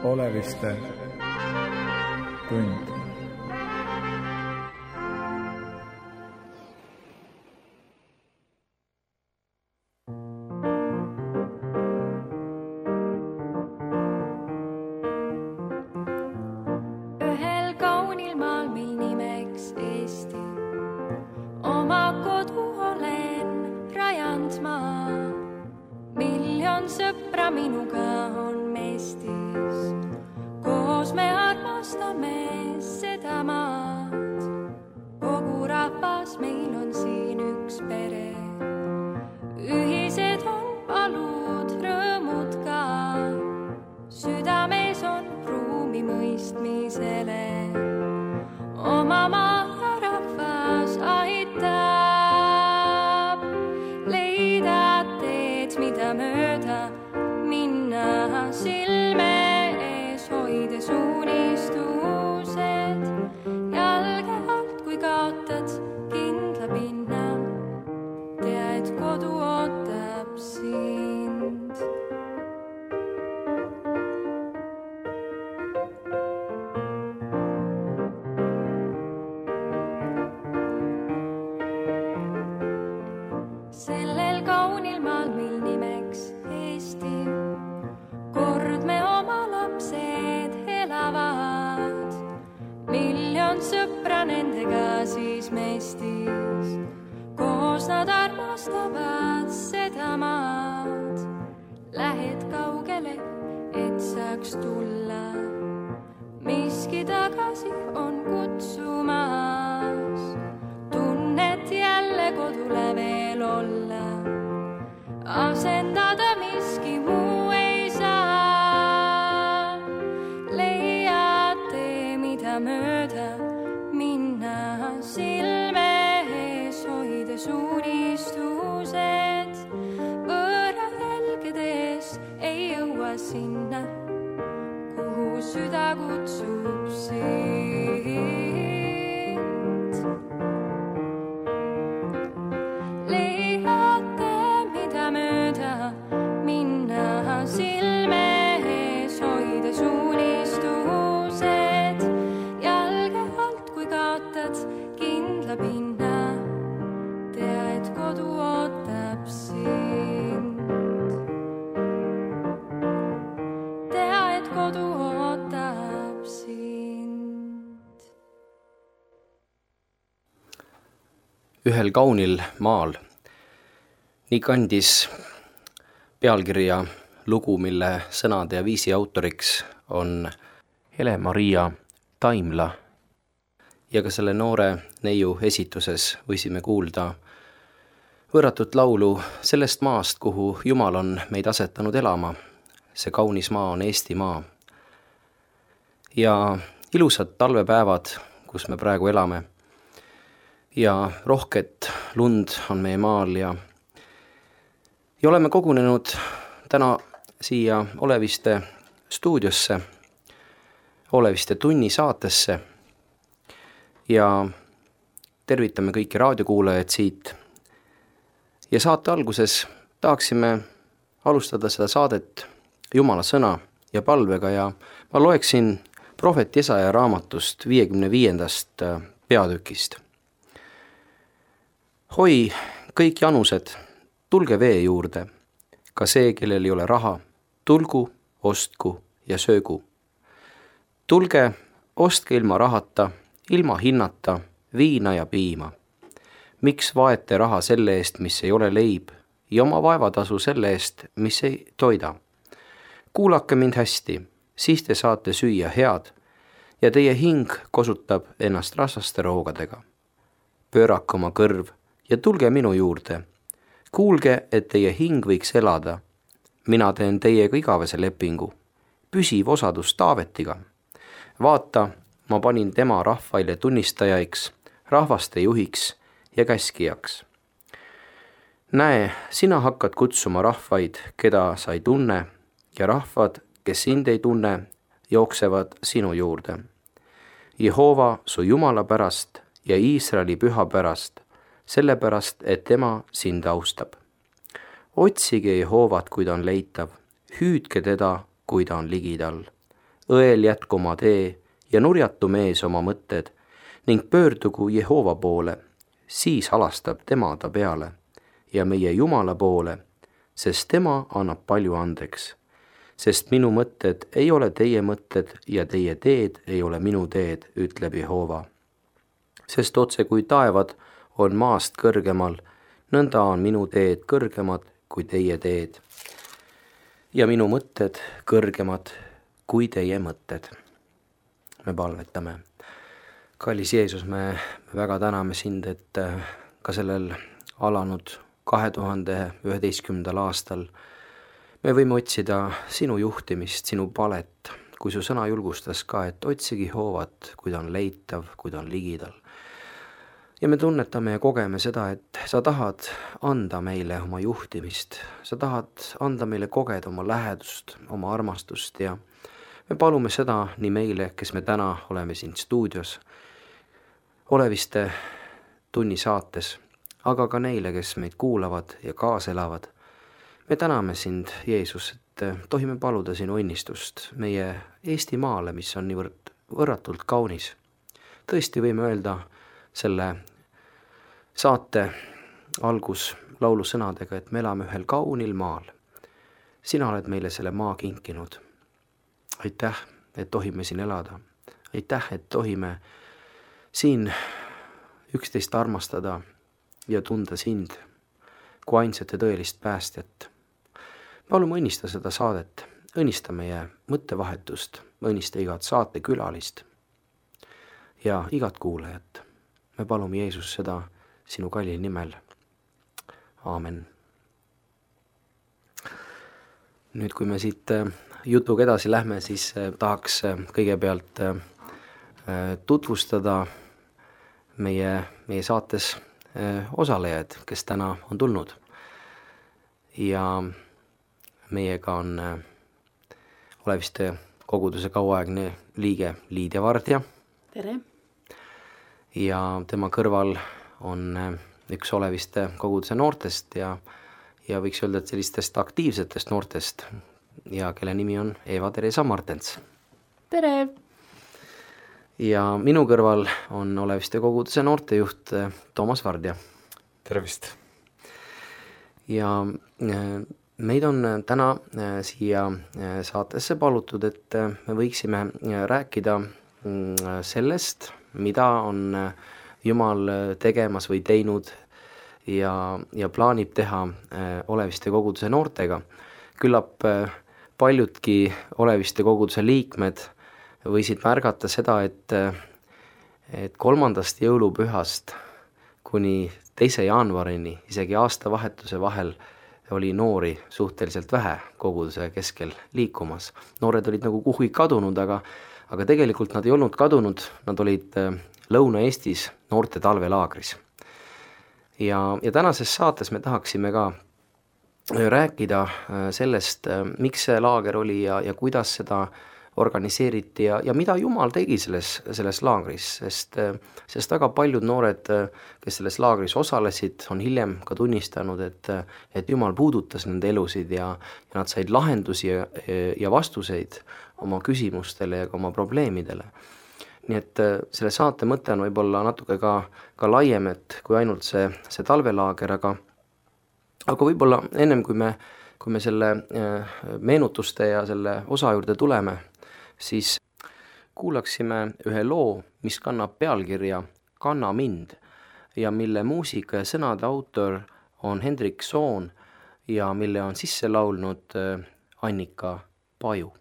Oleviste tund. Ühel kaunil maal meil nimeks Eesti, oma kodu olen rajand ma. Miljon sõpra minuga on Eestis, koos me armastame seda maad. Kogu rahvas meil on siin üks pere, ühised on palud, rõõmud ka. Südames on ruumi mõistmisele, oma maa rahvas aitab leida teed, mida mööda minna silme ees, hoides unistused jalge alt. Kui kaotad kindla pinna, tea, et kodu ootab sind. Sellel kaunil maal meil nimeks Eesti, kord me oma lapsed elavad. Miljon sõpra nendega siis Eestis, koos nad armastavad seda maad. Lähed kaugele, et saaks tulla, miski tagasi on kutsumas. Tunnet jälle kodule veel olla, asendada miski muu ei saa. Leiad tee, mida mööda minna silme ees, hoides unistused võõra jälgedes ei jõua sinna, kuhu süda kutsub sind. Mööda minna silme ees, hoides unistused jalge alt. Kui kaotad kindla pinna, tea, et kodu ootab sind. Tea, et kodu ootab sind. Ühel kaunil maal. Nii kandis pealkirja lugu, mille sõnade ja viisi autoriks on Hele-Maria Taimla. Ja ka selle noore neiu esituses võisime kuulda võõratut laulu sellest maast, kuhu Jumal on meid asetanud elama. See kaunis maa on Eesti maa. Ja ilusad talvepäevad, kus me praegu elame. Ja rohket lund on meie maal ja oleme kogunenud täna siia Oleviste stuudiosse, Oleviste tunni saatesse ja tervitame kõiki raadiokuulajad siit. Ja saate alguses tahaksime alustada seda saadet Jumala sõna ja palvega ja ma loeksin prohvet Jesaja raamatust 55. peatükist. Hoi kõik janused, tulge vee juurde, ka see, kellel ei ole raha, tulgu, ostku ja söögu. Tulge, ostke ilma rahata, ilma hinnata, viina ja piima. Miks vaete raha selle eest, mis ei ole leib, ja oma vaevatasu selle eest, mis ei toida? Kuulake mind hästi, siis te saate süüa head, ja teie hing kosutab ennast rasvaste roogadega. Pöörake oma kõrv ja tulge minu juurde. Kuulge, et teie hing võiks elada. Mina teen teiega igavese lepingu, püsiv osadus Taavetiga. Vaata, ma panin tema rahvaile tunnistajaiks, rahvaste juhiks ja käskijaks. Näe, sina hakkad kutsuma rahvaid, keda sa ei tunne, ja rahvad, kes sind ei tunne, jooksevad sinu juurde. Jehova su Jumala pärast ja Iisraeli püha pärast, sellepärast, et tema sind austab. Otsige Jehovat, kui ta on leitav, hüüdke teda, kui ta on ligidal. õel jätkuma tee ja nurjatu mees oma mõtted ning pöördugu Jehova poole, siis halastab tema ta peale ja meie Jumala poole, sest tema annab palju andeks. Sest minu mõtted ei ole teie mõtted ja teie teed ei ole minu teed, ütleb Jehova. Sest otse kui taevad on maast kõrgemal, nõnda on minu teed kõrgemad kui teie teed ja minu mõtted kõrgemad kui teie mõtted. Me palvetame. Kallis Jeesus, me väga täname sind, et ka sellel alanud 2011. aastal me võime otsida sinu juhtimist, sinu palet, kui su sõna julgustas ka, et otsigi Jehovat, kui ta on leitav, kui ta on ligidal. Ja me tunnetame ja kogeme seda, et sa tahad anda meile oma juhtimist, sa tahad anda meile kogeda oma lähedust, oma armastust ja me palume seda nii meile, kes me täna oleme siin stuudios, Oleviste tunni saates, aga ka neile, kes meid kuulavad ja kaaselavad. Me täname sind, Jeesus, et tohime paluda sinu õnnistust meie Eestimaale, mis on niivõrd võrratult kaunis. Tõesti võime öelda selle saate algus laulusõnadega, et me elame ühel kaunil maal. Sina oled meile selle maa kinkinud. Aitäh, et tohime siin elada. Aitäh, et tohime siin üksteist armastada ja tunda sind kui ainsat ja tõelist päästjat. Palume õnnista seda saadet, õnnista meie mõttevahetust, õnnista igat saatekülalist ja igat kuulajat. Me palume Jeesus seda sinu kallil nimel. Aamen. Nüüd, kui me siit jutuga edasi lähme, siis tahaks kõigepealt tutvustada meie saates osalejaid, kes täna on tulnud. Ja meiega on Oleviste koguduse kauaaegne liige Liidia Vardja. Tere! Ja tema kõrval on üks Oleviste koguduse noortest ja võiks öelda, et sellistest aktiivsetest noortest ja kelle nimi on Eva-Teresa Martens. Tere! Ja minu kõrval on Oleviste koguduse noortejuht Toomas Vardja. Tervist! Ja meid on täna siia saatesse palutud, et me võiksime rääkida sellest, mida on Jumal tegemas või teinud ja plaanib teha Oleviste koguduse noortega. Küllap paljudki Oleviste koguduse liikmed võisid märgata seda, et 3. jõulupühast kuni 2. jaanuarini, isegi aastavahetuse vahel, oli noori suhteliselt vähe koguduse keskel liikumas. Noored olid nagu kuhugi kadunud, aga tegelikult nad ei olnud kadunud, nad olid Lõuna-Eestis noorte talvelaagris. Ja tänases saates me tahaksime ka rääkida sellest, miks see laager oli ja kuidas seda organiseeriti ja mida Jumal tegi selles laagris, sest väga paljud noored, kes selles laagris osalesid, on hiljem ka tunnistanud, et Jumal puudutas nende elusid ja nad said lahendusi ja vastuseid oma küsimustele ja ka oma probleemidele. Nii et selle saate mõte on võib-olla natuke ka laiem, et kui ainult see talvelaager, aga võib-olla ennem kui me selle meenutuste ja selle osa juurde tuleme, siis kuulaksime ühe loo, mis kannab pealkirja Kanna mind ja mille muusika ja sõnade autor on Hendrik Soon ja mille on sisse laulnud Annika Paju.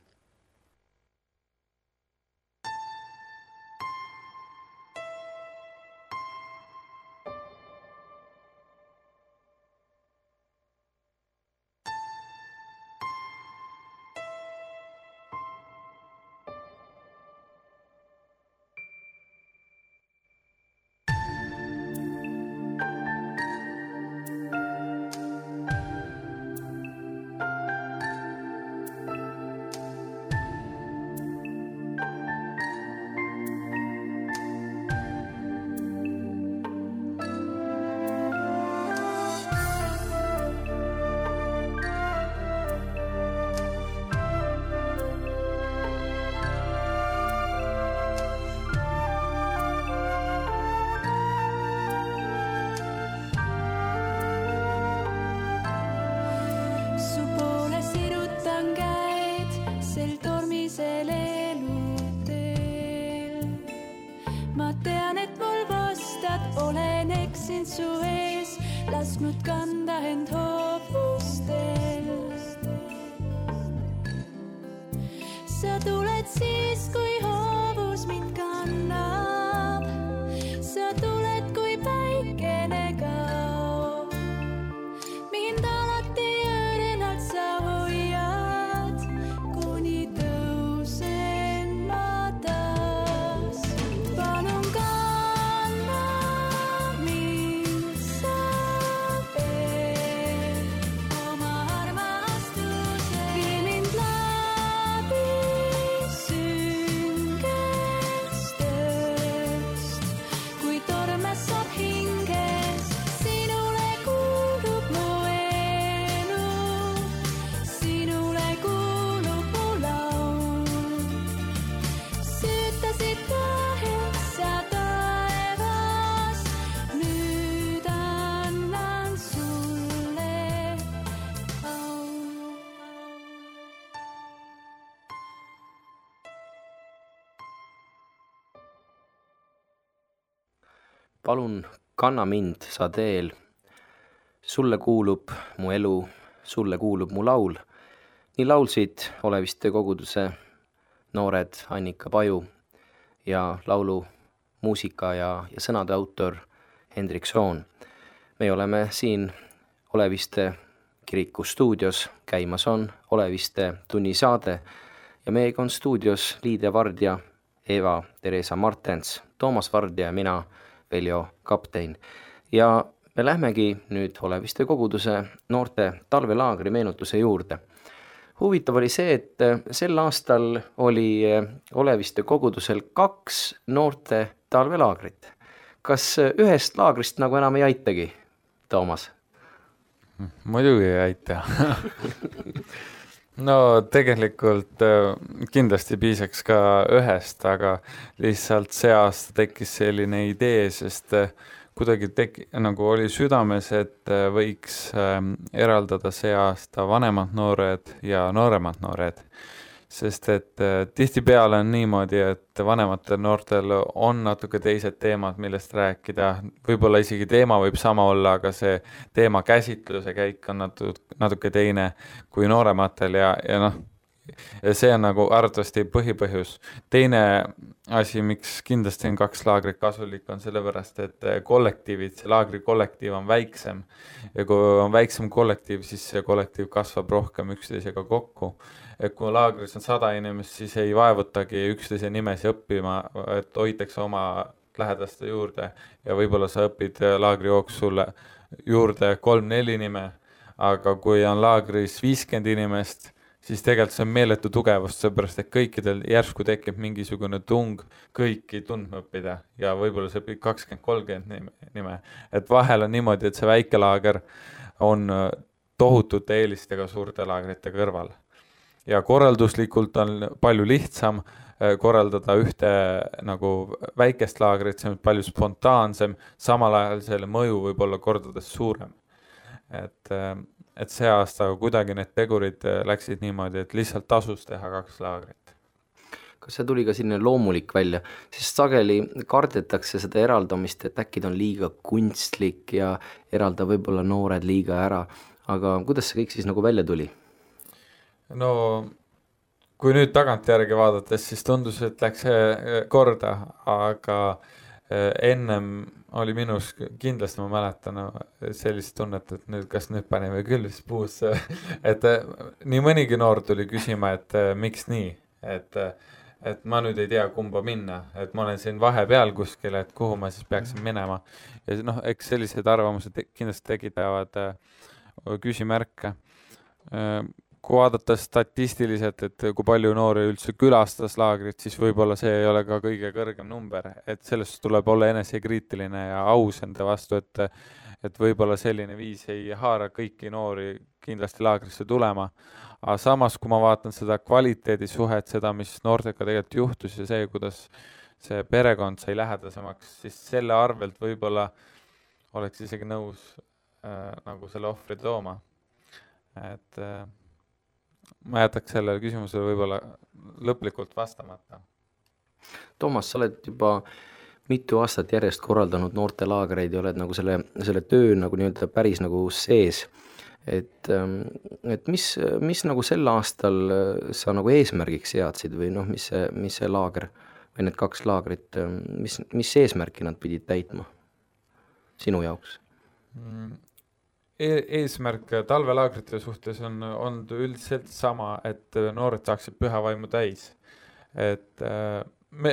ma tean, et mul vastad, olen eksinud su ees, lasknud kanda end hoovustel. Sa tuled siis, kui hoovus mind kannab, sa tuled, kui päikene kaob. Mind alati õrnalt sa hoiad, kuni tõusen ma taas. Palun kanna mind sa veel oma armastuse. Vii mind läbi süngest ööst, kui tormes saab hinges. Sinule kuulub mu elu, sinule kuulub mu laul. Süütasid tähes sa taevas, nüüd annan sulle au. palun kanna mind sa teel. Sulle kuulub mu elu, sulle kuulub mu laul. Nii laulsid Oleviste koguduse noored Annika Paju ja laulu muusika ja sõnade autor Hendrik Soon. Me oleme siin Oleviste kiriku stuudios, käimas on Oleviste tunnisaade ja meiega on stuudios Liide Vardja, Eva-Teresa Martens, Toomas Vardja ja mina, Veljo Kaptein. Ja me lähmegi nüüd Oleviste koguduse noorte talvelaagri meenutuse juurde. Huvitav oli see, et sel aastal oli Oleviste kogudusel 2 noorte talvelaagrit. Kas ühest laagrist nagu enam ei aitagi, Toomas? Muidugi ei aita. No tegelikult kindlasti piisaks ka ühest, aga lihtsalt see aasta tekkis selline idee, sest kuidagi nagu oli südames, et võiks eraldada see aasta vanemad noored ja nooremad noored. Sest et tihtipeale on niimoodi, et vanematel noortel on natuke teised teemad, millest rääkida. Võib-olla isegi teema võib sama olla, aga see teema käsitluse käik on natuke teine kui noorematel ja noh, ja see on nagu arvatavasti põhipõhjus. Teine asi, miks kindlasti on 2 laagrit kasulik, on sellepärast, et kollektiivid, see laagri kollektiiv on väiksem ja kui on väiksem kollektiiv, siis see kollektiiv kasvab rohkem üksteisega kokku. Et kui laagris on 100 inimest, siis ei vaevutagi üksteise nimesi õppima, et hoitakse oma lähedaste juurde ja võib-olla sa õpid laagri jooksul juurde 3-4 nime, aga kui on laagris 50 inimest, siis tegelikult see on meeletu tugevust, seepärast et kõikidel järsku tekib mingisugune tung kõiki tundma õppida ja võib-olla sa õpid 20-30 nime. Et vahel on niimoodi, et see väike laager on tohutute eelistega suurte laagrite kõrval. Ja korralduslikult on palju lihtsam korraldada ühte nagu väikest laagrit, see on palju spontaansem, samal ajal selle mõju võib olla kordades suurem. Et see aasta kuidagi need tegurid läksid niimoodi, et lihtsalt tasus teha 2 laagrit. Kas see tuli ka selline loomulik välja, sest sageli kardetakse seda eraldamist, et äkki ta on liiga kunstlik ja eralda võib-olla noored liiga ära, aga kuidas see kõik siis nagu välja tuli? No kui nüüd tagantjärgi vaadates, siis tundus, et läks korda, aga ennem oli minus kindlasti, ma mäletan sellist tunnet, et nüüd, kas nüüd panime küll siis puusse, et nii mõnigi noor tuli küsima, et miks nii, et ma nüüd ei tea kumba minna, et ma olen siin vahepeal kuskil, et kuhu ma siis peaksin minema ja noh, eks sellised arvamused kindlasti tekitavad küsimärke. Kui vaadata statistiliselt, et kui palju noori üldse külastas laagrit, siis võib-olla see ei ole ka kõige kõrgem number, et sellest tuleb olla enesekriitiline ja aus enda vastu, et võib-olla selline viis ei haara kõiki noori kindlasti laagrisse tulema. Aga samas, kui ma vaatan seda kvaliteedisuhet, seda, mis noortega tegelikult juhtus ja see, kuidas see perekond sai lähedasemaks, siis selle arvelt võib-olla oleks isegi nõus nagu selle ohvri tooma. Et ma jätaks sellele küsimusele võib-olla lõplikult vastamata. Toomas, sa oled juba mitu aastat järjest korraldanud noortelaagreid ja oled nagu selle töö nagu nii-öelda päris nagu sees. Et mis nagu sel aastal sa nagu eesmärgiks seadsid või noh, mis see laager või need 2 laagrit, mis eesmärki nad pidid täitma sinu jaoks? Eesmärk talvelaagrite suhtes on üldiselt sama, et noored saaksid püha vaimu täis. Et me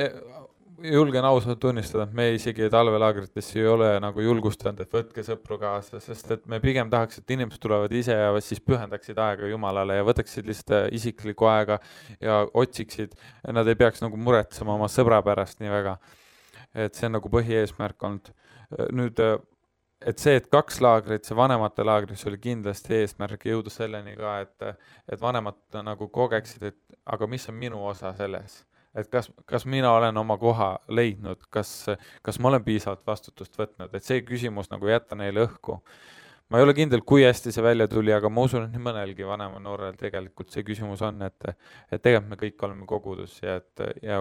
julgen ausalt tunnistada, et me isegi talvelaagritesse ei ole nagu julgustanud, et võtke sõpru kaasa, sest et me pigem tahaks, et inimesed tulevad ise ja siis pühendaksid aega Jumalale ja võtaksid lihtsalt isiklikku aega ja otsiksid. Nad ei peaks nagu muretsema oma sõbra pärast nii väga. Et see on nagu põhieesmärk olnud. Nüüd, et see, et 2 laagrit, see vanemate laagris oli kindlasti eesmärk jõuda selleni ka, et vanemad nagu kogeksid, et aga mis on minu osa selles? Et kas mina olen oma koha leidnud, kas ma olen piisavalt vastutust võtnud, et see küsimus nagu jätta neile õhku. Ma ei ole kindel, kui hästi see välja tuli, aga ma usun, et nii mõnelgi vanema noorel tegelikult see küsimus on, et tegelikult me kõik oleme kogudus ja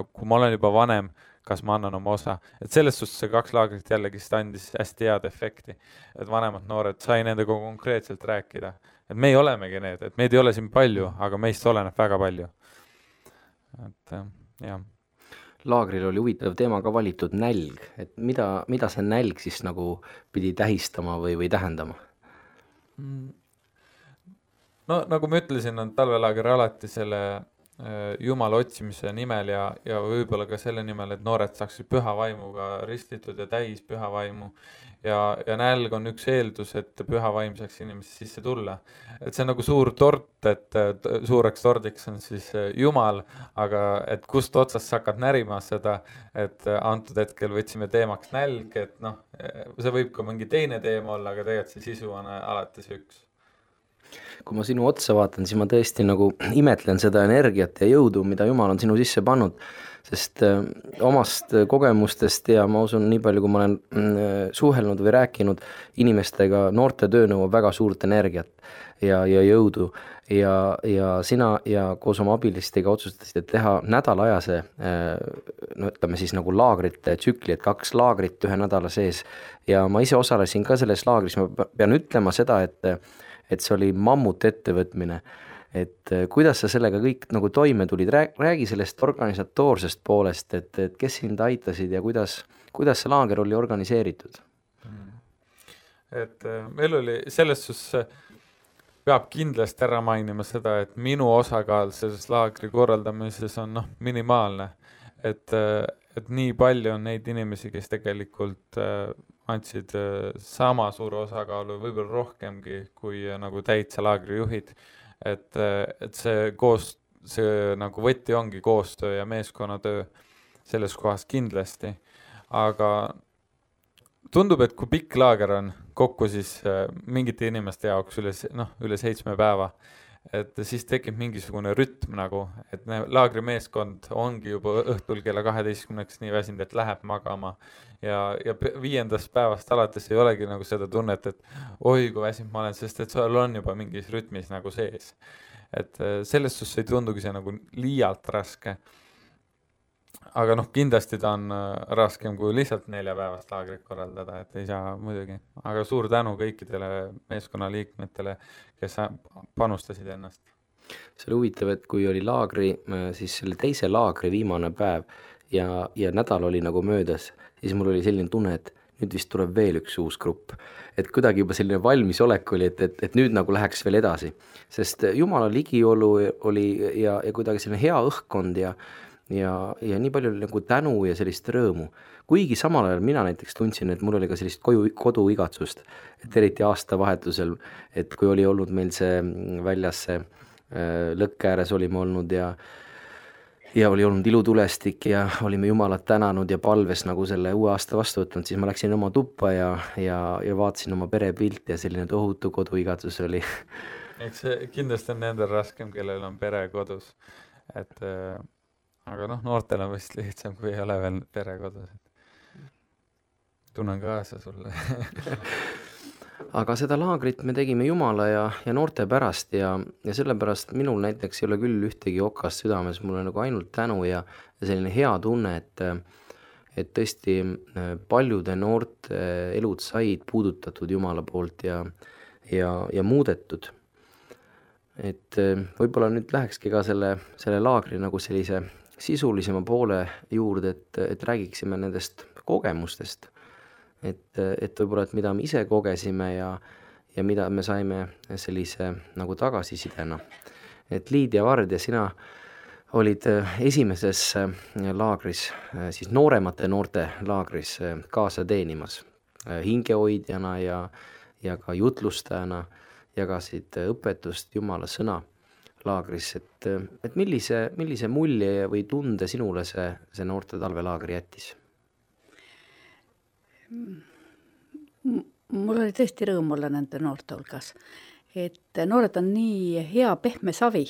kui ma olen juba vanem, kas ma annan oma osa. Et selles suhtes see 2 laagrit jällegi andis hästi head efekti, et vanemad noored sai nendega konkreetselt rääkida. Et me ei olemegi need, et meid ei ole siin palju, aga meist oleneb väga palju. Et jah. Laagril oli huvitav teema ka valitud nälg, et mida see nälg siis nagu pidi tähistama või tähendama? No nagu ma ütlesin, on talvelaager alati selle Jumala otsimise nimel ja võib-olla ka selle nimel, et noored saaksid püha vaimuga ristitud ja täis püha vaimu ja nälg on üks eeldus, et püha vaim saaks inimesi sisse tulla. Et see on nagu suur tort, et suureks tordiks on siis Jumal, aga et kust otsast sa hakkad närima seda, et antud hetkel võtsime teemaks nälg, et noh, see võib ka mingi teine teema olla, aga tegelikult see sisu on alati see üks. Kui ma sinu otsa vaatan, siis ma tõesti nagu imetlen seda energiat ja jõudu, mida Jumal on sinu sisse pannud, sest omast kogemustest ja ma usun nii palju, kui ma olen suhelnud või rääkinud inimestega, noorte töö nõuab väga suurt energiat ja jõudu ja sina ja koos oma abilistega otsustasid, et teha nädalajase, no ütleme siis nagu laagrite tsükli, et 2 laagrit 1 nädala sees ja ma ise osalesin ka selles laagris, ma pean ütlema seda, et see oli mammut ettevõtmine, et kuidas sa sellega kõik nagu toime tulid, räägi sellest organisatoorsest poolest, et kes sind aitasid ja kuidas see laager oli organiseeritud? Et meil oli selles suhtes, peab kindlasti ära mainima seda, et minu osakaal selles laagri korraldamises on minimaalne, et nii palju on neid inimesi, kes tegelikult andsid sama suure osakaalu, võib-olla rohkemgi kui nagu täitsa laagri juhid, et see nagu võti ongi koostöö ja meeskonnatöö selles kohas kindlasti, aga tundub, et kui pikk laager on kokku, siis mingite inimeste jaoks üle 7 päeva, et siis tekib mingisugune rütm nagu, et laagri meeskond ongi juba õhtul kella 12 nii väsinud, et läheb magama ja 5. päevast alates ei olegi nagu seda tunnet, et oi, kui väsinud ma olen, sest et sul on juba mingis rütmis nagu sees. Et selles suhtes ei tundugi see nagu liialt raske. Aga kindlasti ta on raskem kui lihtsalt 4 päevast laagrit korraldada, et ei saa muidugi. Aga suur tänu kõikidele meeskonnaliikmetele, kes panustasid ennast. See oli huvitav, et kui oli laagri, siis selle teise laagri viimane päev ja nädal oli nagu möödas, siis mul oli selline tunne, et nüüd vist tuleb veel üks uus grupp. Et kuidagi juba selline valmisolek oli, et nüüd nagu läheks veel edasi. Sest Jumala ligiolu oli ja kuidagi selline hea õhkkond ja nii palju nagu tänu ja sellist rõõmu. Kuigi samal ajal mina näiteks tundsin, et mul oli ka sellist koduigatsust, et eriti aastavahetusel, et kui oli olnud meil see väljas see lõkke ääres olime olnud ja oli olnud ilutulestik ja olime Jumalat tänanud ja palves nagu selle uue aasta vastu võtnud, siis ma läksin oma tuppa ja vaatasin oma perepilti ja selline tohutu koduigatsus oli. Eks see kindlasti on nendel raskem, kellel on pere kodus, et aga noortel on vist lihtsam, kui ei ole veel pere kodus. Tunnen kaasa sulle. Aga seda laagrit me tegime Jumala ja noorte pärast ja sellepärast minul näiteks ei ole küll ühtegi okast südames, mul on nagu ainult tänu ja selline hea tunne, et tõesti paljude noorte elud said puudutatud Jumala poolt ja muudetud. Et võib-olla nüüd lähekski ka selle laagri nagu sellise sisulisema poole juurde, et räägiksime nendest kogemustest. Et võib-olla, et mida me ise kogesime ja mida me saime sellise nagu tagasisidena. Et Liidia Vard ja sina olid esimeses laagris, siis nooremate noorte laagris kaasa teenimas hingehoidjana ja ka jutlustajana, jagasid õpetust Jumala sõna laagris, et millise mulje või tunde sinule see noorte talvelaagri jättis? Mul oli tõesti rõõm olla nende noorte hulgas, et noored on nii hea pehme savi,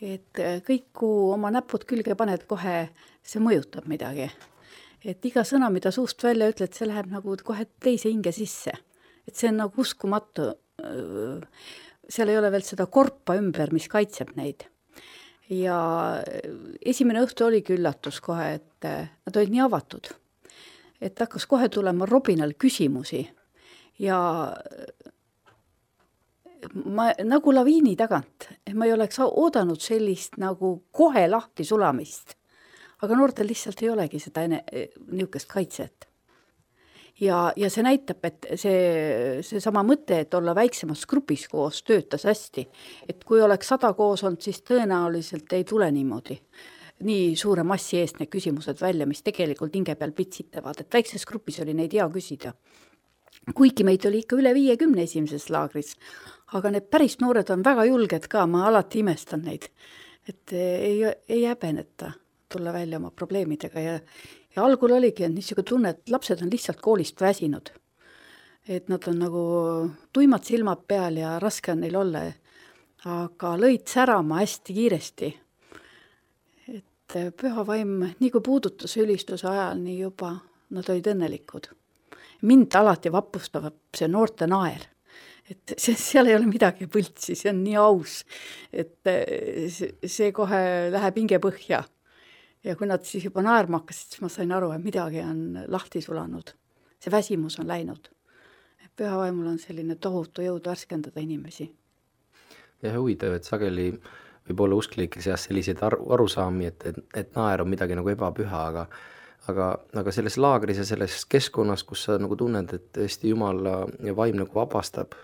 et kõik, kui oma näpud külge paned, kohe see mõjutab midagi. Et iga sõna, mida suust välja ütled, see läheb nagu kohe teise hinge sisse. Et see on nagu uskumatu. Seal ei ole veel seda korpa ümber, mis kaitseb neid. Ja esimene õhtu oligi üllatus kohe, et nad olid nii avatud. Et hakkas kohe tulema Robinal küsimusi ja ma nagu laviini tagant, et ma ei oleks oodanud sellist nagu kohe lahti sulamist. Aga noortel lihtsalt ei olegi seda niisugust kaitset. Ja see näitab, et see sama mõte, et olla väiksemas grupis koos töötas hästi. Et kui oleks 100 koos olnud, siis tõenäoliselt ei tule niimoodi. Nii suure massi eest need küsimused välja, mis tegelikult hinge peal pitsitavad. Et väikses grupis oli neid hea küsida. Kuigi meid oli ikka üle 50 esimeses laagris, aga need päris noored on väga julged ka, ma alati imestan neid. Et ei häbeneta tulla välja oma probleemidega ja algul oligi niisugune tunne, et lapsed on lihtsalt koolist väsinud. Et nad on nagu tuimad silmad peal ja raske on neil olla, aga lõid särama hästi kiiresti. Et püha vaim, nii kui puudutas ülistuse ajal, nii juba nad olid õnnelikud. Mind alati vapustab see noorte naer. Et seal ei ole midagi põltsi, see on nii aus, et see kohe läheb hinge põhja. Ja kui nad siis juba naerma hakkasid, siis ma sain aru, et midagi on lahti sulanud. See väsimus on läinud. Pühavaimul on selline tohutu jõud värskendada inimesi. Ja huvitav, et sageli võib olla usklikke seas selliseid arusaami, et naer on midagi nagu ebapüha, aga selles laagris ja selles keskkonnas, kus sa nagu tunned, et tõesti Jumala vaim nagu vabastab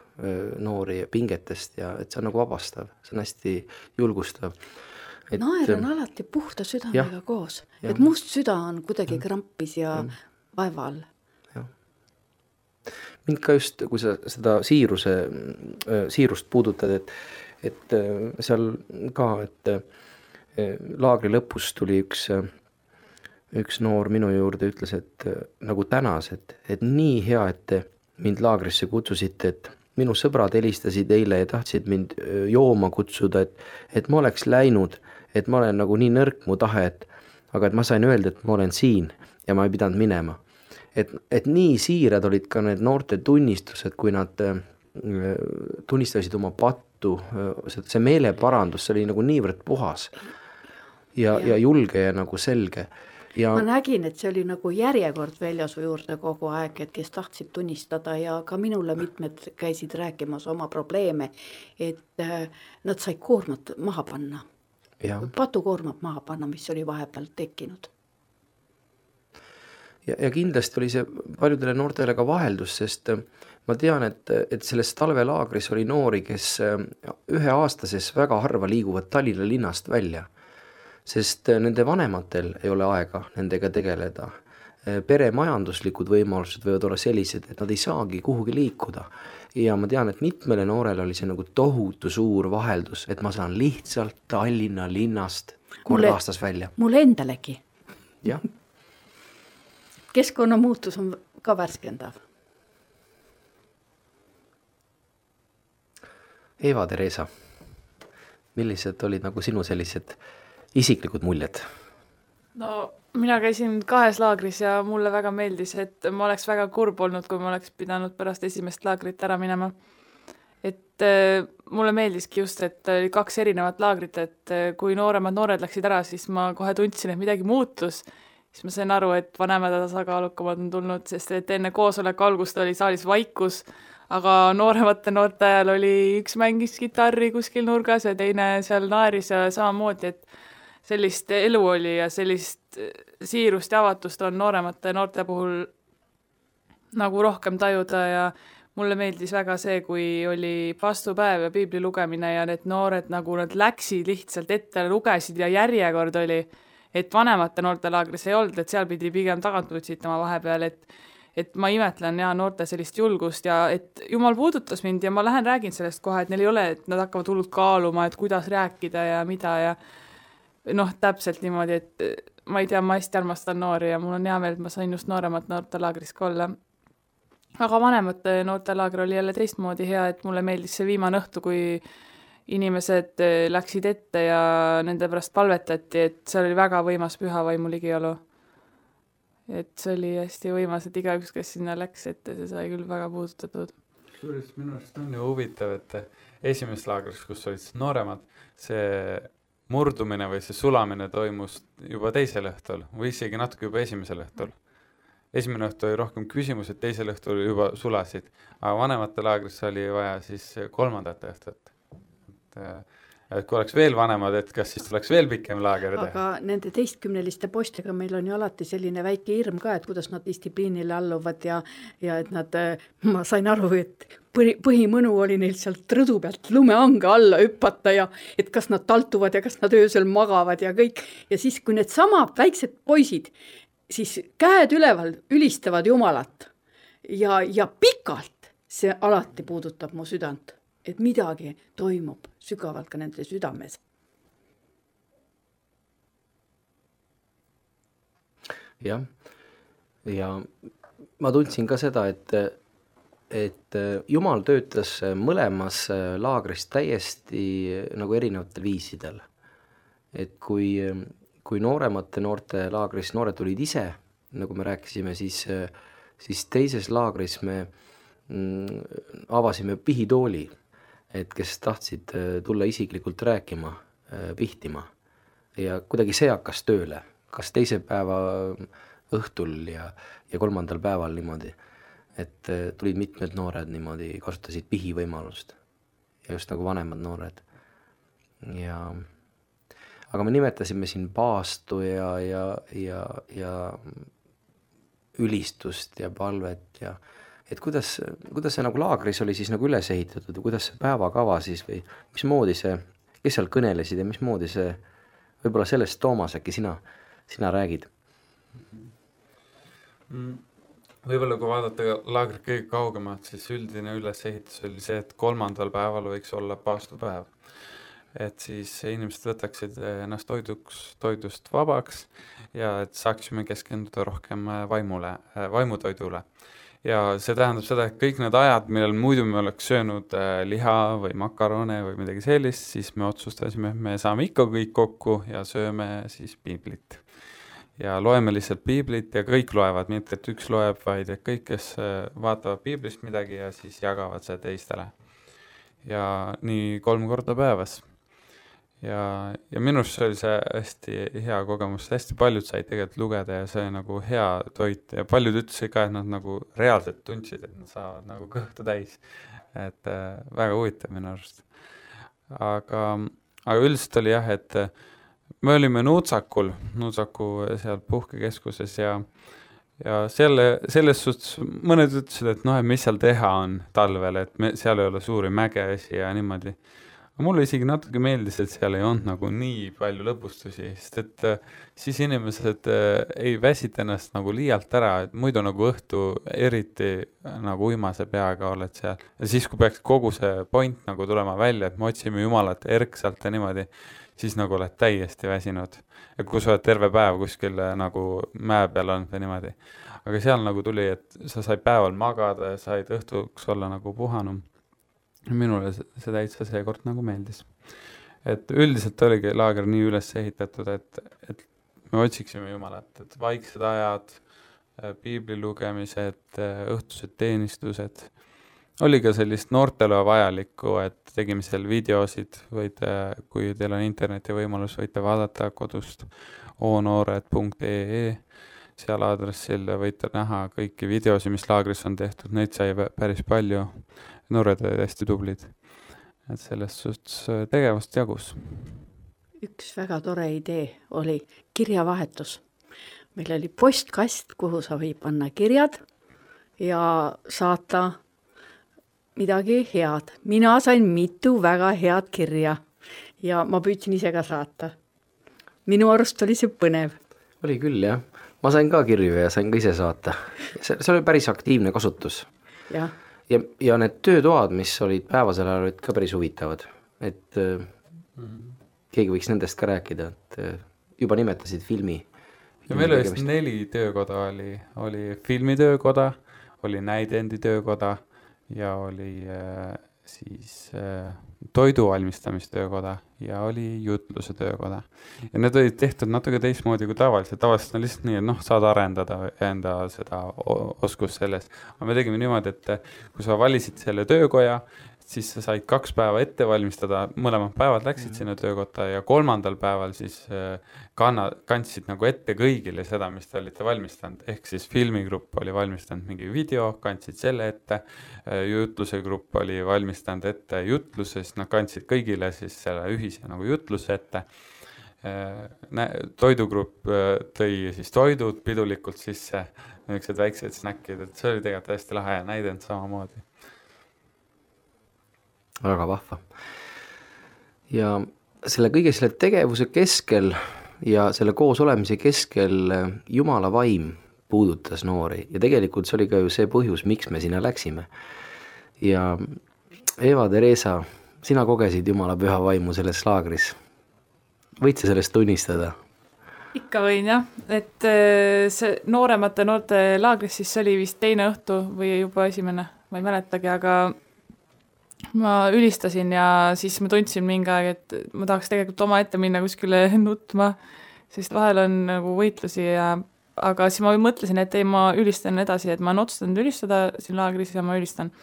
noori pingetest ja et see on nagu vabastav, see on hästi julgustav. Naer on alati puhta südamega koos, et must süda on kuidagi krampis ja vaeva all. Mind ka just, kui sa seda siirust puudutad, et seal ka, et laagri lõpus tuli üks noor minu juurde ütles, et nagu tänas, et nii hea, et mind laagrisse kutsusite, et minu sõbrad helistasid eile ja tahtsid mind jooma kutsuda, et ma oleks läinud, et ma olen nagu nii nõrk mu tahe, aga et ma sain öelda, et ma olen siin ja ma ei pidanud minema. Et nii siirad olid ka need noorte tunnistused, kui nad tunnistasid oma pattu, see meeleparandus, see oli nagu niivõrd puhas ja julge ja nagu selge. Ja ma nägin, et see oli nagu järjekord väljasu juurde kogu aeg, et kes tahtsid tunnistada ja ka minule mitmed käisid rääkimas oma probleeme, et nad said koormat maha panna. Patukoormat maha panna, mis oli vahepeal tekkinud. Ja kindlasti oli see paljudele noortele ka vaheldus, sest ma tean, et selles talvelaagris oli noori, kes 1-aastases väga harva liiguvad Tallinna linnast välja, sest nende vanematel ei ole aega nendega tegeleda. Pere majanduslikud võimalused võivad olla sellised, et nad ei saagi kuhugi liikuda. Ja ma tean, et mitmele noorele oli see nagu tohutu suur vaheldus, et ma saan lihtsalt Tallinna linnast kord aastas välja. Mulle endalegi. Jah. Keskkonnamuutus on ka värskendav. Eva-Teresa, millised olid nagu sinu sellised isiklikud muljed? No, mina käisin 2 laagris ja mulle väga meeldis, et ma oleks väga kurb olnud, kui ma oleks pidanud pärast esimest laagrit ära minema. Et mulle meeldiski just, et oli 2 erinevat laagrit, et kui noored läksid ära, siis ma kohe tundsin, et midagi muutus siis ma sain aru, et vanemad tasakaalukamad on tulnud, sest et enne koosoleku algust oli saalis vaikus, aga nooremate noorte ajal oli üks mängis kitarri kuskil nurgas ja teine seal naeris ja samamoodi, et sellist elu oli ja sellist siirust ja avatust on nooremate noorte puhul nagu rohkem tajuda ja mulle meeldis väga see, kui oli vastupäev ja piibli lugemine ja need noored nagu nad läksid lihtsalt ette, lugesid ja järjekord oli, et vanemate noortelaagris ei olnud, et seal pidi pigem tagant võtsitama vahepeal, et ma imetlen ja noorte sellist julgust ja et Jumal puudutas mind ja ma lähen räägin sellest kohe, et neil ei ole, et nad hakkavad hullult kaaluma, et kuidas rääkida ja mida ja täpselt niimoodi, et ma ei tea, ma hästi armastan noori ja mul on hea meel, et ma sain just nooremat noortelaagris ka olla. Aga vanemate noortelaager oli jälle teistmoodi hea, et mulle meeldis see viimane õhtu, kui inimesed läksid ette ja nende pärast palvetati, et seal oli väga võimas pühavaimu ligiolu. Et see oli hästi võimas, et igaüks, kes sinna läks ette, see sai küll väga puudutatud. Suuris minu arust on ju huvitav, et esimeses laagris, kus olid nooremad, see murdumine või see sulamine toimus juba teisel õhtul või isegi natuke juba esimesel õhtul. Esimene õhtu oli rohkem küsimused, teisel õhtul juba sulasid, aga vanemate laagris oli vaja siis kolmandat õhtut. Et kui oleks veel vanemad, et kas siis tuleks veel pikem laager teha? Aga nende teistkümneliste postega meil on ju alati selline väike hirm ka, et kuidas nad distsipliinile alluvad ja et nad, ma sain aru, et põhimõnu oli neil sealt rõdu pealt lumeange alla hüppata ja et kas nad taltuvad ja kas nad öösel magavad ja kõik. Ja siis, kui need samad väiksed poisid siis käed üleval ülistavad Jumalat ja pikalt see alati puudutab mu südant, et midagi toimub sügavalt ka nende südames. Jah, ja ma tundsin ka seda, et Jumal töötas mõlemas laagris täiesti nagu erinevatel viisidel. Et kui nooremate noorte laagris noored tulid ise, nagu me rääkisime, siis teises laagris me avasime pihitooli, et kes tahtsid tulla isiklikult rääkima, pihtima. Ja kuidagi see hakkas tööle, kas teise päeva õhtul ja kolmandal päeval niimoodi, et tulid mitmed noored niimoodi, kasutasid pihi võimalust ja just nagu vanemad noored. Aga me nimetasime siin paastu ja ülistust ja palvet ja et kuidas see nagu laagris oli siis nagu üles ehitatud ja kuidas see päevakava siis või mismoodi see, kes seal kõnelesid ja mismoodi see, võib-olla sellest Toomas äkki sina räägid? Võib-olla kui vaadata laagrit kõige kaugemalt, siis üldine ülesehitus oli see, et kolmandal päeval võiks olla paastupäev. Et siis inimesed võtaksid ennast toidust vabaks ja et saaksime keskenduda rohkem vaimutoidule. Ja see tähendab seda, et kõik need ajad, millel muidu me oleks söönud liha või makarone või midagi sellist, siis me otsustasime, me saame ikka kõik kokku ja sööme siis piiblit. Ja loeme lihtsalt piiblit ja kõik loevad, mitte et üks loeb, vaid et kõik, kes vaatavad piiblist midagi ja siis jagavad see teistele. Ja nii 3 korda päevas. Ja minu arust see oli see hästi hea kogemus, hästi paljud said tegelikult lugeda ja see oli nagu hea toit ja paljud ütlesid ka, et nad nagu reaalselt tundsid, et nad saavad nagu kõhtu täis. Et väga huvitav minu arust. Aga üldiselt oli jah, et me olime Nuutsaku seal puhkekeskuses ja selles suhtes mõned ütlesid, et et mis seal teha on talvel, et seal ei ole suuri mägeesi ja niimoodi. Mulle isegi natuke meeldis, et seal ei olnud nagu nii palju lõbustusi, sest et siis inimesed ei väsit ennast nagu liialt ära, et muidu nagu õhtu eriti nagu uimase peaga oled seal. Ja siis, kui peaks kogu see point nagu tulema välja, et me otsime Jumalat erksalt ja niimoodi, siis nagu oled täiesti väsinud. Ja kui sa oled terve päev kuskil nagu mäe peal olnud või niimoodi. Aga seal nagu tuli, et sa sai päeval magada ja said õhtuks olla nagu puhanum. Minule see täitsa seekord nagu meeldis. Et üldiselt oligi laager nii üles ehitatud, et me otsiksime Jumalat, et vaiksed ajad, piibli lugemised, õhtused teenistused. Oli ka sellist noortele vajalikku, et tegime seal videosid, kui teil on interneti võimalus, võite vaadata kodust. onoored.ee, seal aadressil võite näha kõiki videosi, mis laagris on tehtud, neid sai päris palju, noored olid hästi tublid, et sellest suhtes tegevust jagus. Üks väga tore idee oli kirjavahetus. Meil oli postkast, kuhu sa või panna kirjad ja saata midagi head. Mina sain mitu väga head kirja ja ma püüdsin ise ka saata. Minu arust oli see põnev. Oli küll, jah. Ma sain ka kirju ja sain ka ise saata. See oli päris aktiivne kasutus. Ja. Ja need töötoad, mis olid päevasel ajal, olid ka päris huvitavad. Et keegi võiks nendest ka rääkida, et juba nimetasid filmi. Ja meil oli 4 töökoda, oli filmitöökoda, oli näidendi töökoda ja oli toiduvalmistamistöökoda ja oli jutluse töökoda. Ja need olid tehtud natuke teistmoodi kui tavaliselt. Tavaliselt on lihtsalt nii, et saad arendada enda seda oskust sellest. Aga me tegime niimoodi, et kui sa valisid selle töökoja, siis sa said 2 päeva ette valmistada, mõlemad päevad läksid sinna töökotta ja 3. päeval siis kandsid nagu ette kõigile seda, mis te olite valmistanud. Ehk siis filmigrupp oli valmistanud mingi video, kandsid selle ette, jutluse grupp oli valmistanud ette jutluse, siis nad kandsid kõigile siis selle ühise nagu jutluse ette. Toidugrupp tõi siis toidud pidulikult sisse, niisugused väiksed snäkkid, et see oli tegelikult hästi lahe ja näidend samamoodi. Väga vahva. Ja selle kõige selle tegevuse keskel ja selle koos olemise keskel Jumala vaim puudutas noori. Ja tegelikult see oli ka ju see põhjus, miks me sinna läksime. Ja Eva Teresa, sina kogesid Jumala püha vaimu selles laagris. Võid sa sellest tunnistada? Ikka võin, jah. Et see nooremate noorte laagris siis oli vist teine õhtu või juba esimene, ma ei mäletagi, aga ma ülistasin ja siis ma tundsin mingi aeg, et ma tahaks tegelikult oma ette minna kuskile nutma, sest vahel on nagu võitlusi aga siis ma mõtlesin, et ei, ma ülistan edasi, et ma olen otsustanud ülistada siin laagris ja ma ülistan.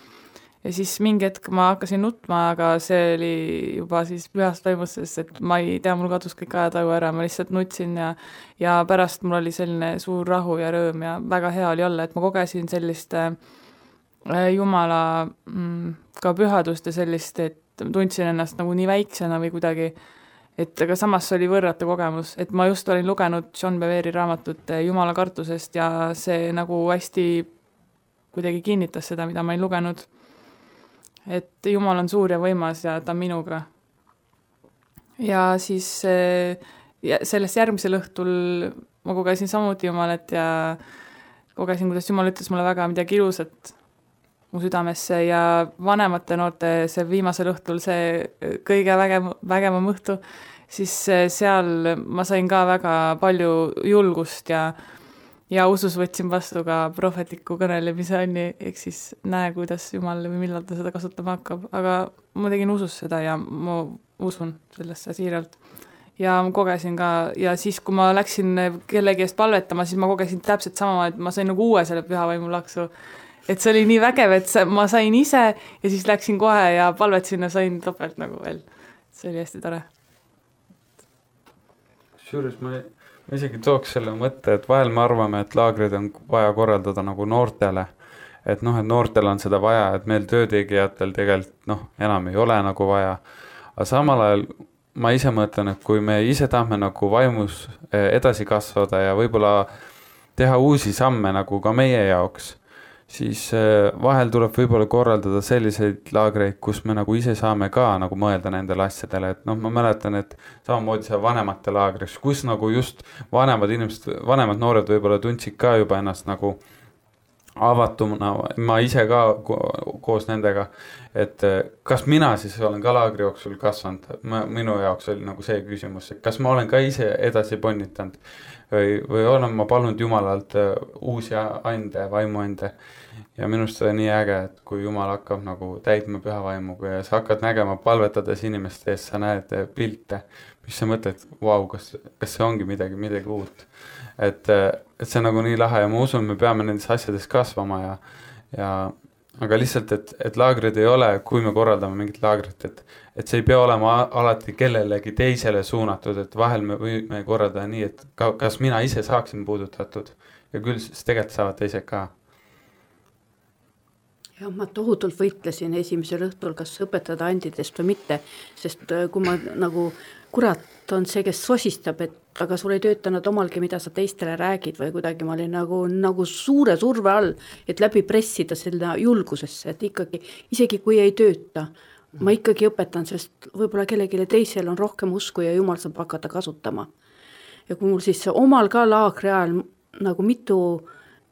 Ja siis mingi hetk ma hakkasin nutma, aga see oli juba siis pühast vaimuses, et ma ei tea, mul kadus kõik ajataju ära, ma lihtsalt nutsin ja pärast mul oli selline suur rahu ja rõõm ja väga hea oli olla, et ma kogesin sellist Jumala ka pühadust ja sellist, et tundsin ennast nagu nii väiksena või kuidagi, et aga samas oli võrratu kogemus, et ma just olin lugenud John Beveri raamatut Jumala kartusest ja see nagu hästi kuidagi kinnitas seda, mida ma ei lugenud, et Jumal on suur ja võimas ja ta on minuga. Ja siis sellest järgmisel õhtul ma kogesin samuti Jumalat ja kogesin, kuidas Jumal ütles mulle väga midagi ilusat mu südamesse ja vanemate noorte see viimasel õhtul see kõige vägevam õhtu, siis seal ma sain ka väga palju julgust ja usus võtsin vastu ka prohvetliku kõnelemise anni, ehk siis näe, kuidas Jumal või millal ta seda kasutama hakkab, aga ma tegin usus seda ja ma usun sellesse siiralt. Ja ma kogesin ka, ja siis kui ma läksin kellegi eest palvetama, siis ma kogesin täpselt sama, et ma sain nagu uue selle püha vaimu laksu. Et see oli nii vägev, et ma sain ise ja siis läksin kohe ja palvetsin ja sain topelt nagu veel. See oli hästi tore. Suurus, ma isegi tooks selle mõtte, et vahel me arvame, et laagrid on vaja korraldada nagu noortele. Et et noortel on seda vaja, et meil töötegijatel tegelikult enam ei ole nagu vaja. Aga samal ajal ma ise mõtlen, et kui me ise tahame nagu vaimus edasi kasvada ja võib-olla teha uusi samme nagu ka meie jaoks, siis vahel tuleb võib-olla korraldada selliseid laagreid, kus me nagu ise saame ka nagu mõelda nendele asjadele, et ma mäletan, et samamoodi see vanemate laagris, kus nagu just vanemad inimesed, vanemad noored võib-olla tundsid ka juba ennast nagu avatumuna, ma ise ka koos nendega, et kas mina siis olen ka laagri jooksul kasvanud, minu jaoks oli nagu see küsimus, et kas ma olen ka ise edasi ponnitanud või olen ma palunud Jumalalt uusi ande, vaimuande. Ja minust on nii äge, et kui Jumal hakkab nagu täitma püha vaimuga ja sa hakkad nägema palvetades inimeste ees, sa näed pilte, mis sa mõtled, vau, kas see ongi midagi uut. Et see on nagu nii lahe ja ma usun, me peame nendes asjades kasvama ja aga lihtsalt, et laagrid ei ole, kui me korraldame mingit laagrit, et see ei pea olema alati kellelegi teisele suunatud, et vahel me võime korraldada nii, et kas mina ise saaksin puudutatud ja küll siis tegelikult saavad teised ka. Ja ma tohutult võitlesin esimesel õhtul, kas õpetada andidest või mitte, sest kui ma nagu kurat on see, kes sosistab, et aga sul ei töötanud omalgi, mida sa teistele räägid või kuidagi ma olin nagu suure surve all, et läbi pressida selle julgusesse, et ikkagi, isegi kui ei tööta, ma ikkagi õpetan, sest võib-olla kellelegi teisel on rohkem usku ja Jumal saab hakata kasutama. Ja kui mul siis omal ka laagri ajal nagu mitu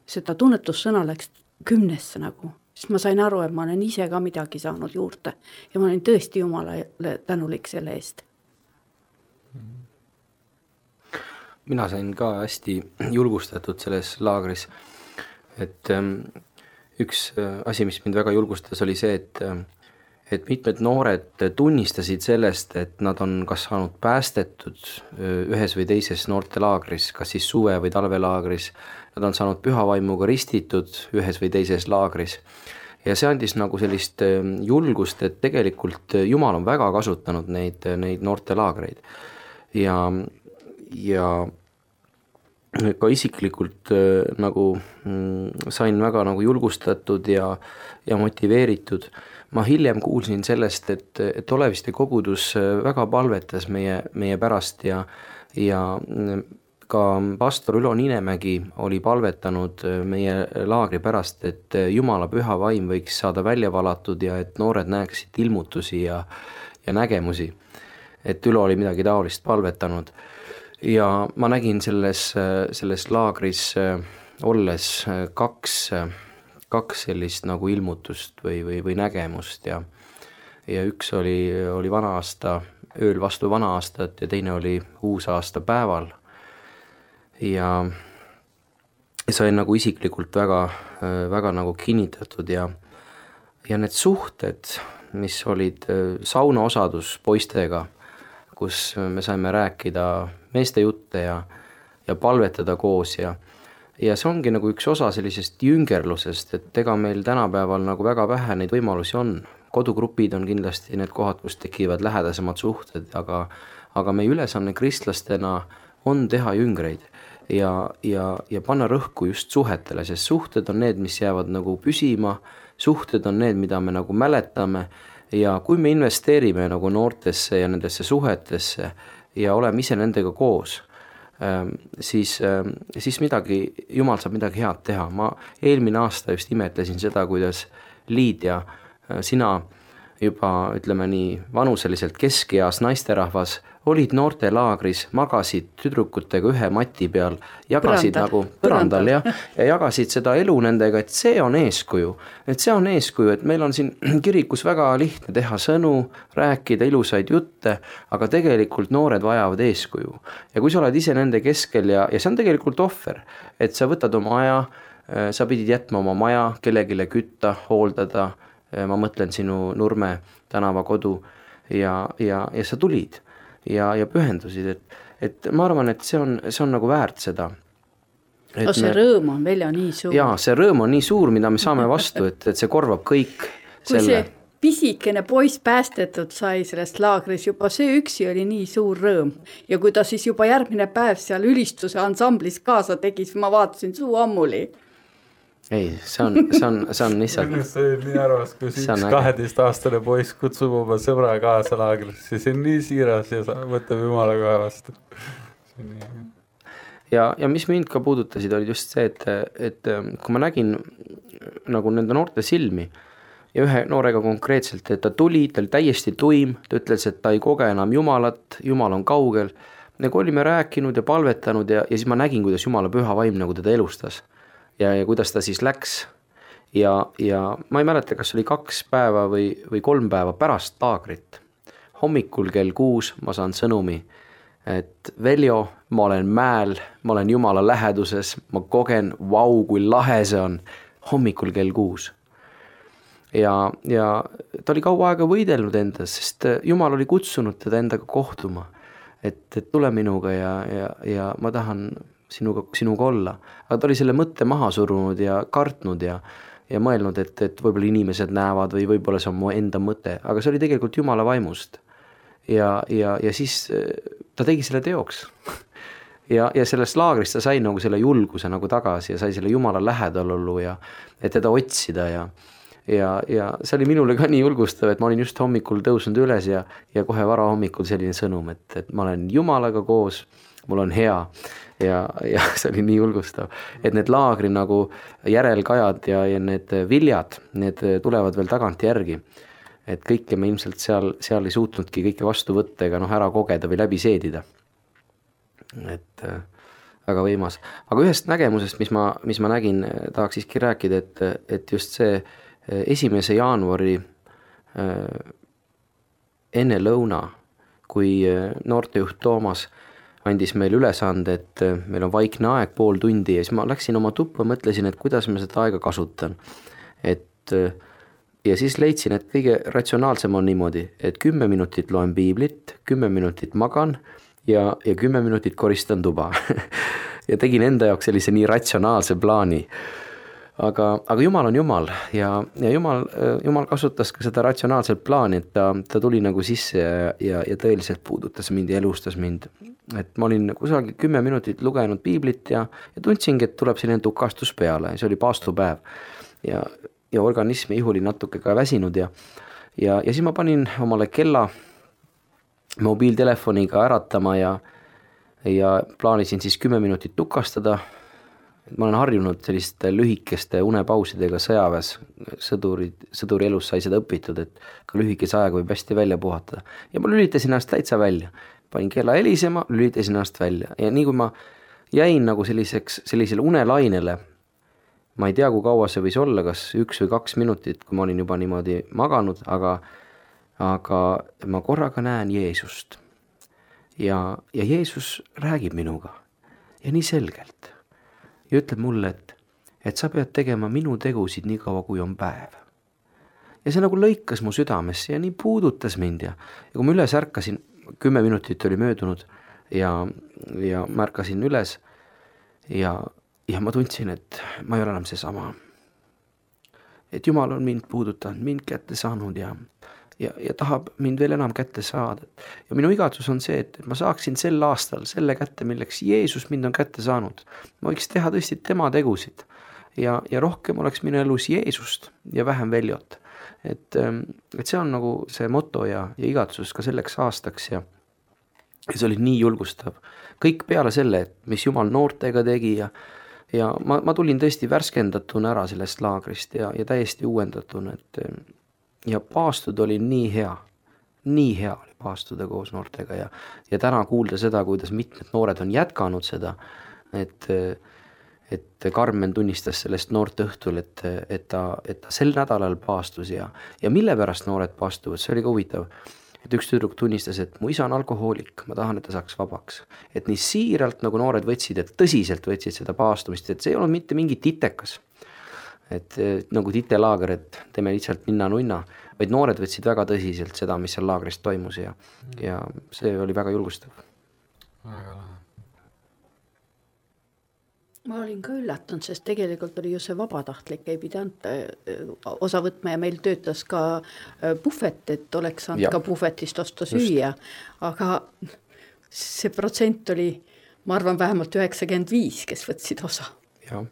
seda tunnetussõna läks 10 nagu, siis ma sain aru, et ma olen ise ka midagi saanud juurde ja ma olen tõesti Jumalale tänulik selle eest. Mina sain ka hästi julgustatud selles laagris, et üks asi, mis mind väga julgustas, oli see, et mitmed noored tunnistasid sellest, et nad on kas saanud päästetud ühes või teises noortelaagris, kas siis suve- või talvelaagris, nad on saanud pühavaimuga ristitud ühes või teises laagris. Ja see andis nagu sellist julgust, et tegelikult Jumal on väga kasutanud neid noortelaagreid. Ja ka isiklikult nagu sain väga nagu julgustatud ja motiveeritud. Ma hiljem kuulsin sellest, et Oleviste kogudus väga palvetas meie pärast ja ka pastor Ülo Ninemägi oli palvetanud meie laagri pärast, et Jumala püha vaim võiks saada välja valatud ja et noored näeksid ilmutusi ja nägemusi. Et Ülo oli midagi taolist palvetanud. Ja ma nägin selles laagris olles kaks sellist nagu ilmutust või nägemust ja üks oli vana aasta, ööl vastu vana aastat ja teine oli uusaasta päeval. Ja sain nagu isiklikult väga nagu kinnitatud ja need suhted, mis olid saunaosadus poistega, kus me saime rääkida meeste jutte ja palvetada koos ja see ongi nagu üks osa sellisest jüngerlusest, et ega meil tänapäeval nagu väga vähe neid võimalusi on. Kodugrupid on kindlasti need kohad, kus tekivad lähedasemad suhted, aga meie ülesanne kristlastena on teha jüngreid ja panna rõhku just suhetele, sest suhted on need, mis jäävad nagu püsima, suhted on need, mida me nagu mäletame ja kui me investeerime nagu noortesse ja nendesse suhetesse ja oleme ise nendega koos, siis Jumal saab midagi head teha. Ma eelmine aasta just imetlesin seda, kuidas Liidia, sina juba ütleme nii vanuseliselt keskeas naisterahvas, olid noortelaagris, magasid tüdrukutega ühe mati peal, jagasid nagu põrandal ja jagasid seda elu nendega, et see on eeskuju, et meil on siin kirikus väga lihtne teha sõnu, rääkida ilusaid jutte, aga tegelikult noored vajavad eeskuju. Ja kui sa oled ise nende keskel ja see on tegelikult ohver, et sa võtad oma aja, sa pidid jätma oma maja, kellegile kütta, hooldada, ma mõtlen sinu Nurme tänava kodu ja sa tulid ja pühendusid, et ma arvan, et see on nagu väärt seda. See rõõm on veel nii suur. Jaa, see rõõm on nii suur, mida me saame vastu, et see korvab kõik kui see pisikene poiss päästetud sai sellest laagris, juba see üksi oli nii suur rõõm. Ja kui ta siis juba järgmine päev seal ülistuse ansamblis kaasa tegi, siis ma vaatasin suu ammuli. Ei, see on lihtsalt... See on nii arvas, kui üks 12-aastane poiss kutsub oma sõbra kaasa laagrisse, see on nii siiras ja võtab Jumala kohe vastu. Ja mis mind ka puudutasid, oli just see, et kui ma nägin nagu nende noorte silmi ja ühe noorega konkreetselt, et ta tuli, ta oli täiesti tuim, ta ütles, et ta ei koge enam Jumalat, Jumal on kaugel. Nagu olime rääkinud ja palvetanud ja siis ma nägin, kuidas Jumala püha vaim nagu teda elustas. Ja kuidas ta siis läks ja ma ei mäleta, kas oli 2 päeva või 3 päeva pärast laagrit. Hommikul kell 6 ma saan sõnumi, et Veljo, ma olen mäel, ma olen Jumala läheduses, ma kogen, vau, kui lahe see on, hommikul kell 6. Ja ta oli kaua aega võidelnud endas, sest Jumal oli kutsunud teda endaga kohtuma, et tule minuga ja ma tahan sinuga olla. Aga ta oli selle mõtte maha surunud ja kartnud ja ja mõelnud, et võib-olla inimesed näevad või võib-olla see on mu enda mõte, aga see oli tegelikult Jumala vaimust. Ja siis ta tegi selle teoks. ja sellest laagrist ta sai nagu selle julguse nagu tagasi ja sai selle Jumala lähedal ollu ja et teda otsida ja see oli minule ka nii julgustav, et ma olin just hommikul tõusnud üles ja kohe varahommikul selline sõnum, et ma olen Jumalaga koos, mul on hea ja see oli nii julgustav, et need laagri nagu järelkajad ja need viljad, need tulevad veel tagant järgi, et kõike me ilmselt seal ei suutnudki kõike vastu võtta ega ära kogeda või läbi seedida. Et väga võimas. Aga ühest nägemusest, mis ma nägin, tahaks siiski rääkida, et just see 1. jaanuari enne lõuna, kui noortejuht Toomas andis meile ülesande, et meil on vaikne aeg, pool tundi ja siis ma läksin oma tuppa, mõtlesin, et kuidas ma seda aega kasutan. Ja siis leidsin, et kõige ratsionaalsem on niimoodi, et 10 minutit loen piiblit, 10 minutit magan ja 10 minutit koristan tuba. Ja tegin enda jaoks sellise nii ratsionaalse plaani. Aga Jumal on Jumal ja Jumal kasutas ka seda ratsionaalset plaani, et ta tuli nagu sisse ja tõeliselt puudutas mind ja elustas mind. Et ma olin kusagil 10 minutit lugenud piiblit ja tundsingi, et tuleb selline tukastus peale. See oli paastupäev ja organism ja ihu oli natuke ka väsinud ja siis ma panin omale kella mobiiltelefoniga äratama ja plaanisin siis 10 minutit tukastada. Ma olen harjunud selliste lühikeste unepausidega sõjaväes, sõduri elus sai seda õpitud, et ka lühikese aega võib hästi välja puhatada. Ja ma lülitasin ennast täitsa välja. Panin kella helisema, lülitasin ennast välja. Ja nii kui ma jäin nagu sellisele unelainele, ma ei tea, kui kaua see võis olla, kas 1 või 2 minutit, kui ma olin juba niimoodi maganud, aga ma korraga näen Jeesust. Ja Jeesus räägib minuga ja nii selgelt. Ja ütleb mulle, et sa pead tegema minu tegusid nii kaua, kui on päev. Ja see nagu lõikas mu südamesse ja nii puudutas mind ja kui ma üles ärkasin, 10 minutit oli möödunud ja märkasin üles ja ma tundsin, et ma ei ole enam see sama. Et Jumal on mind puudutanud, mind kätte saanud ja tahab mind veel enam kätte saada. Ja minu igatsus on see, et ma saaksin sel aastal selle kätte, milleks Jeesus mind on kätte saanud. Ma võiks teha tõesti tema tegusid ja rohkem oleks minu elus Jeesust ja vähem Veljot. Et see on nagu see moto ja igatsus ka selleks aastaks ja see oli nii julgustav. Kõik peale selle, et mis Jumal noortega tegi ja ma tulin tõesti värskendatuna ära sellest laagrist ja täiesti uuendatuna, ja paastud oli nii hea oli paastuda koos noortega ja täna kuulda seda, kuidas mitmed noored on jätkanud seda, et Karmen tunnistas sellest noort õhtul, et ta sel nädalal paastus ja mille pärast noored paastuvad, see oli ka huvitav, et üks tüdruk tunnistas, et mu isa on alkohoolik, ma tahan, et ta saaks vabaks, et nii siiralt nagu noored võtsid, et tõsiselt võtsid seda paastumist, et see ei olnud mitte mingi titekas. Et nagu titelaager, et teeme lihtsalt ninna-nunna, vaid noored võtsid väga tõsiselt seda, mis seal laagris toimus ja see oli väga julgustav. Ma olin ka üllatunud, sest tegelikult oli ju see vabatahtlik, ei pidanud osa võtma ja meil töötas ka puhvet, et oleks saanud ka puhvetist osta süüa, aga see protsent oli, ma arvan, vähemalt 95, kes võtsid osa. Jah.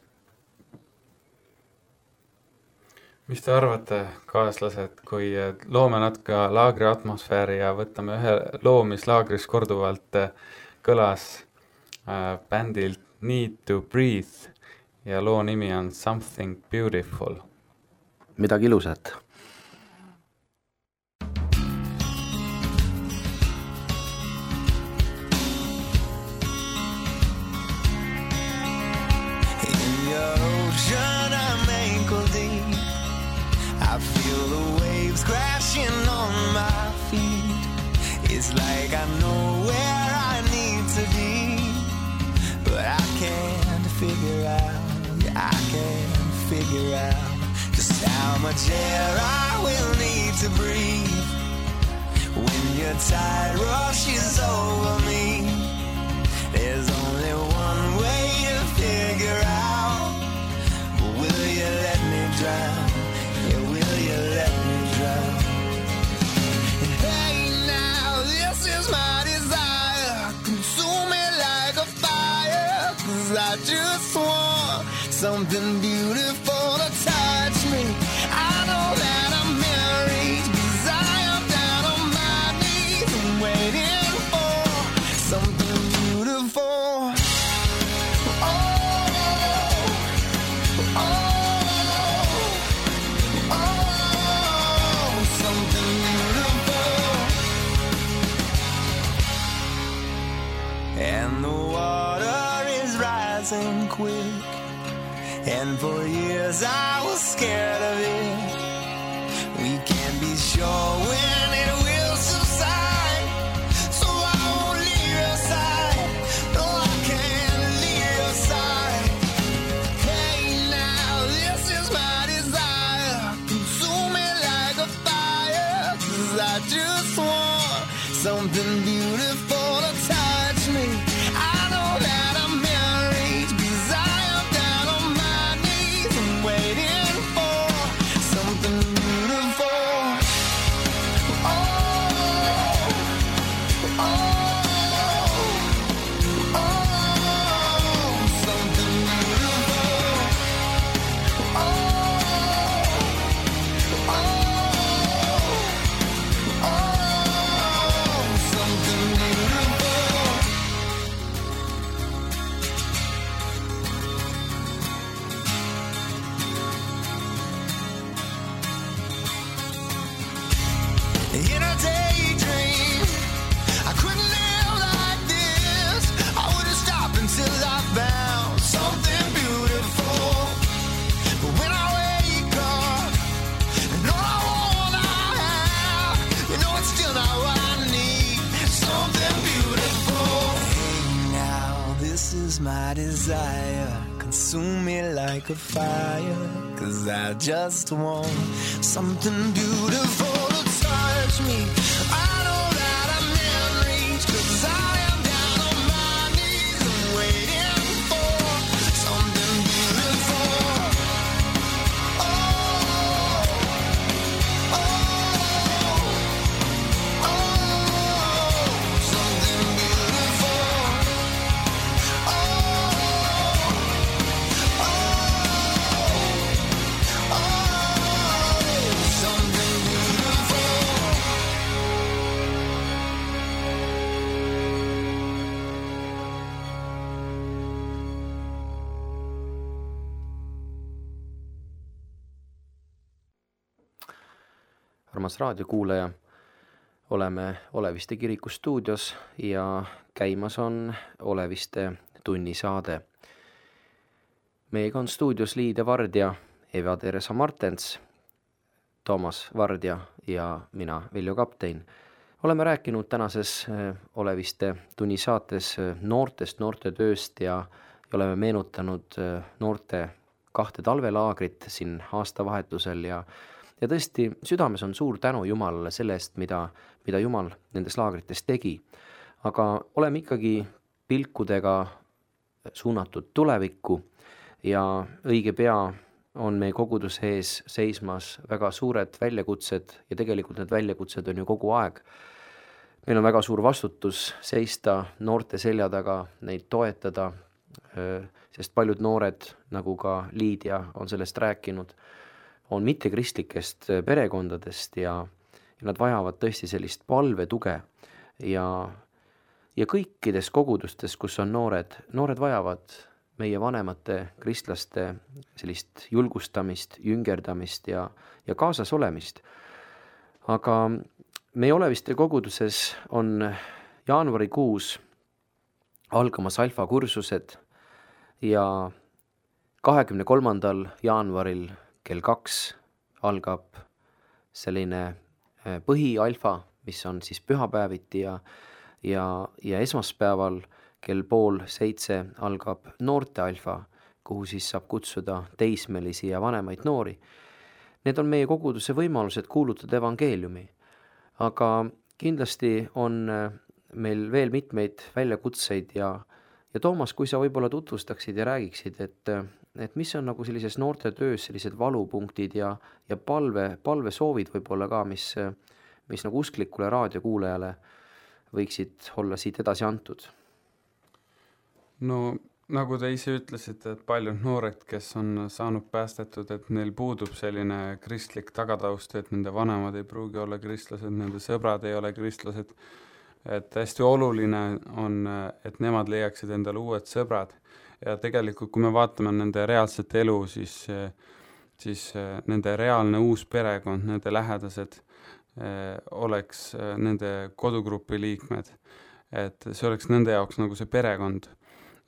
Mis te arvate, kaaslased, kui loome natuke laagri atmosfääri ja võtame ühe loo, mis laagris korduvalt kõlas bändilt Need to Breathe ja loo nimi on Something Beautiful. Midagi ilusat. I feel the waves crashing on my feet. It's like I know where I need to be, but I can't figure out just how much air I will need to breathe when your tide rushes over me. There's only one way to figure out, but will you let me drown? drown? Yeah, will you let me drown? And hey now, this is my desire. Consume me like a fire. 'Cause I just want something beautiful to touch me. I know that I'm married 'cause I am down on my knees and waiting for something beautiful. Oh, oh, oh, something beautiful. And the water is rising quick, and for years I was scared of it. We can't be sure when it will subside, so I won't leave your side. No, I can't leave your side. Hey now, this is my desire. Consume me like a fire. 'Cause I just want something beautiful to touch me. I know that I'm married 'cause I am down on my knees and waiting for something beautiful. Oh, oh, oh, something beautiful. Oh, oh, oh, something beautiful. In a daydream, I couldn't live like this. I wouldn't stop until I found something beautiful. But when I wake up, and all I want I have, you know it's still not what I need. Something beautiful. Hey now, this is my desire. Consume me like a fire. 'Cause I just want something beautiful to touch me. I know that I'm in reach 'cause I am down on my knees and waiting for something beautiful. Oh, oh, oh, something beautiful. Oh, oh, oh, something beautiful. armas raadiokuulaja, oleme Oleviste kiriku stuudios ja käimas on Oleviste tunnisaade. Meiega on stuudios Liide Vardja, Eva-Teresa Martens, Toomas Vardja ja mina, Viljo Kaptein. Oleme rääkinud tänases Oleviste tunnisaates noortetööst ja oleme meenutanud noorte 2 talvelaagrit siin aastavahetusel ja tõesti, südames on suur tänu Jumalale selle eest, mida Jumal nendes laagrites tegi. Aga oleme ikkagi pilkudega suunatud tulevikku ja õige pea on meie koguduse ees seismas väga suured väljakutsed ja tegelikult need väljakutsed on ju kogu aeg. Meil on väga suur vastutus seista noorte selja taga, neid toetada, sest paljud noored, nagu ka Liidia on sellest rääkinud, on mittekristlikest perekondadest ja nad vajavad tõesti sellist palvetuge ja kõikides kogudustes, kus on noored vajavad meie vanemate kristlaste sellist julgustamist, jüngerdamist ja kaasas olemist. Aga meie Oleviste koguduses on jaanuarikuus algamas alfa kursused ja 23. jaanuaril kell 2 algab selline põhialfa, mis on siis pühapäeviti ja esmaspäeval kell 6:30 algab noorte alfa, kuhu siis saab kutsuda teismelisi ja vanemaid noori. Need on meie koguduse võimalused kuulutada evangeeliumi, aga kindlasti on meil veel mitmeid väljakutseid ja Toomas, kui sa võib-olla tutvustaksid ja räägiksid, et et mis on nagu sellises noorte töös sellised valupunktid ja palvesoovid võib-olla ka, mis nagu usklikule raadiokuulajale võiksid olla siit edasi antud? No nagu te ise ütlesite, et paljud noored, kes on saanud päästetud, et neil puudub selline kristlik tagataust, et nende vanemad ei pruugi olla kristlased, nende sõbrad ei ole kristlased, et hästi oluline on, et nemad leiaksid endale uued sõbrad ja tegelikult, kui me vaatame nende reaalset elu, siis nende reaalne uus perekond, nende lähedased oleks nende kodugrupi liikmed, et see oleks nende jaoks nagu see perekond,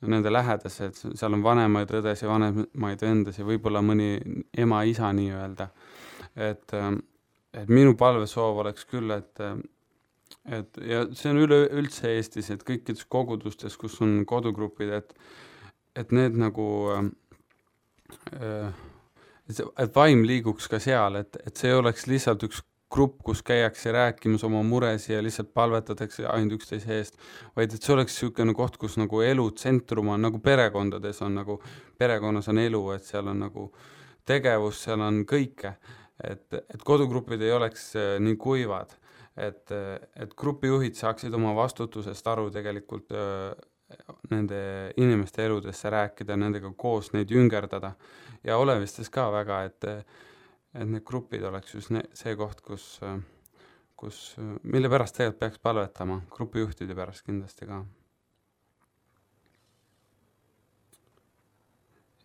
nende lähedased, seal on vanemaid õdes ja vanemaid vendas ja võib-olla mõni ema, isa nii-öelda. Et minu palvesoov oleks küll, et ja see on üldse Eestis, et kõikides kogudustes, kus on kodugrupid, et need nagu, et vaim liiguks ka seal, et see oleks lihtsalt üks grupp, kus käiakse rääkimas oma muresi ja lihtsalt palvetatakse ainult üksteise eest, vaid et see oleks niisugune koht, kus nagu elu tsentrum on, nagu perekondades on, nagu perekonnas on elu, et seal on nagu tegevus, seal on kõike, et kodugrupid ei oleks nii kuivad, et grupijuhid saaksid oma vastutusest aru tegelikult nende inimeste eludesse rääkida, nendega koos neid jüngerdada ja olevistes ka väga, et need grupid oleks just see koht, mille pärast tegelikult peaks palvetama, grupijuhtide pärast kindlasti ka.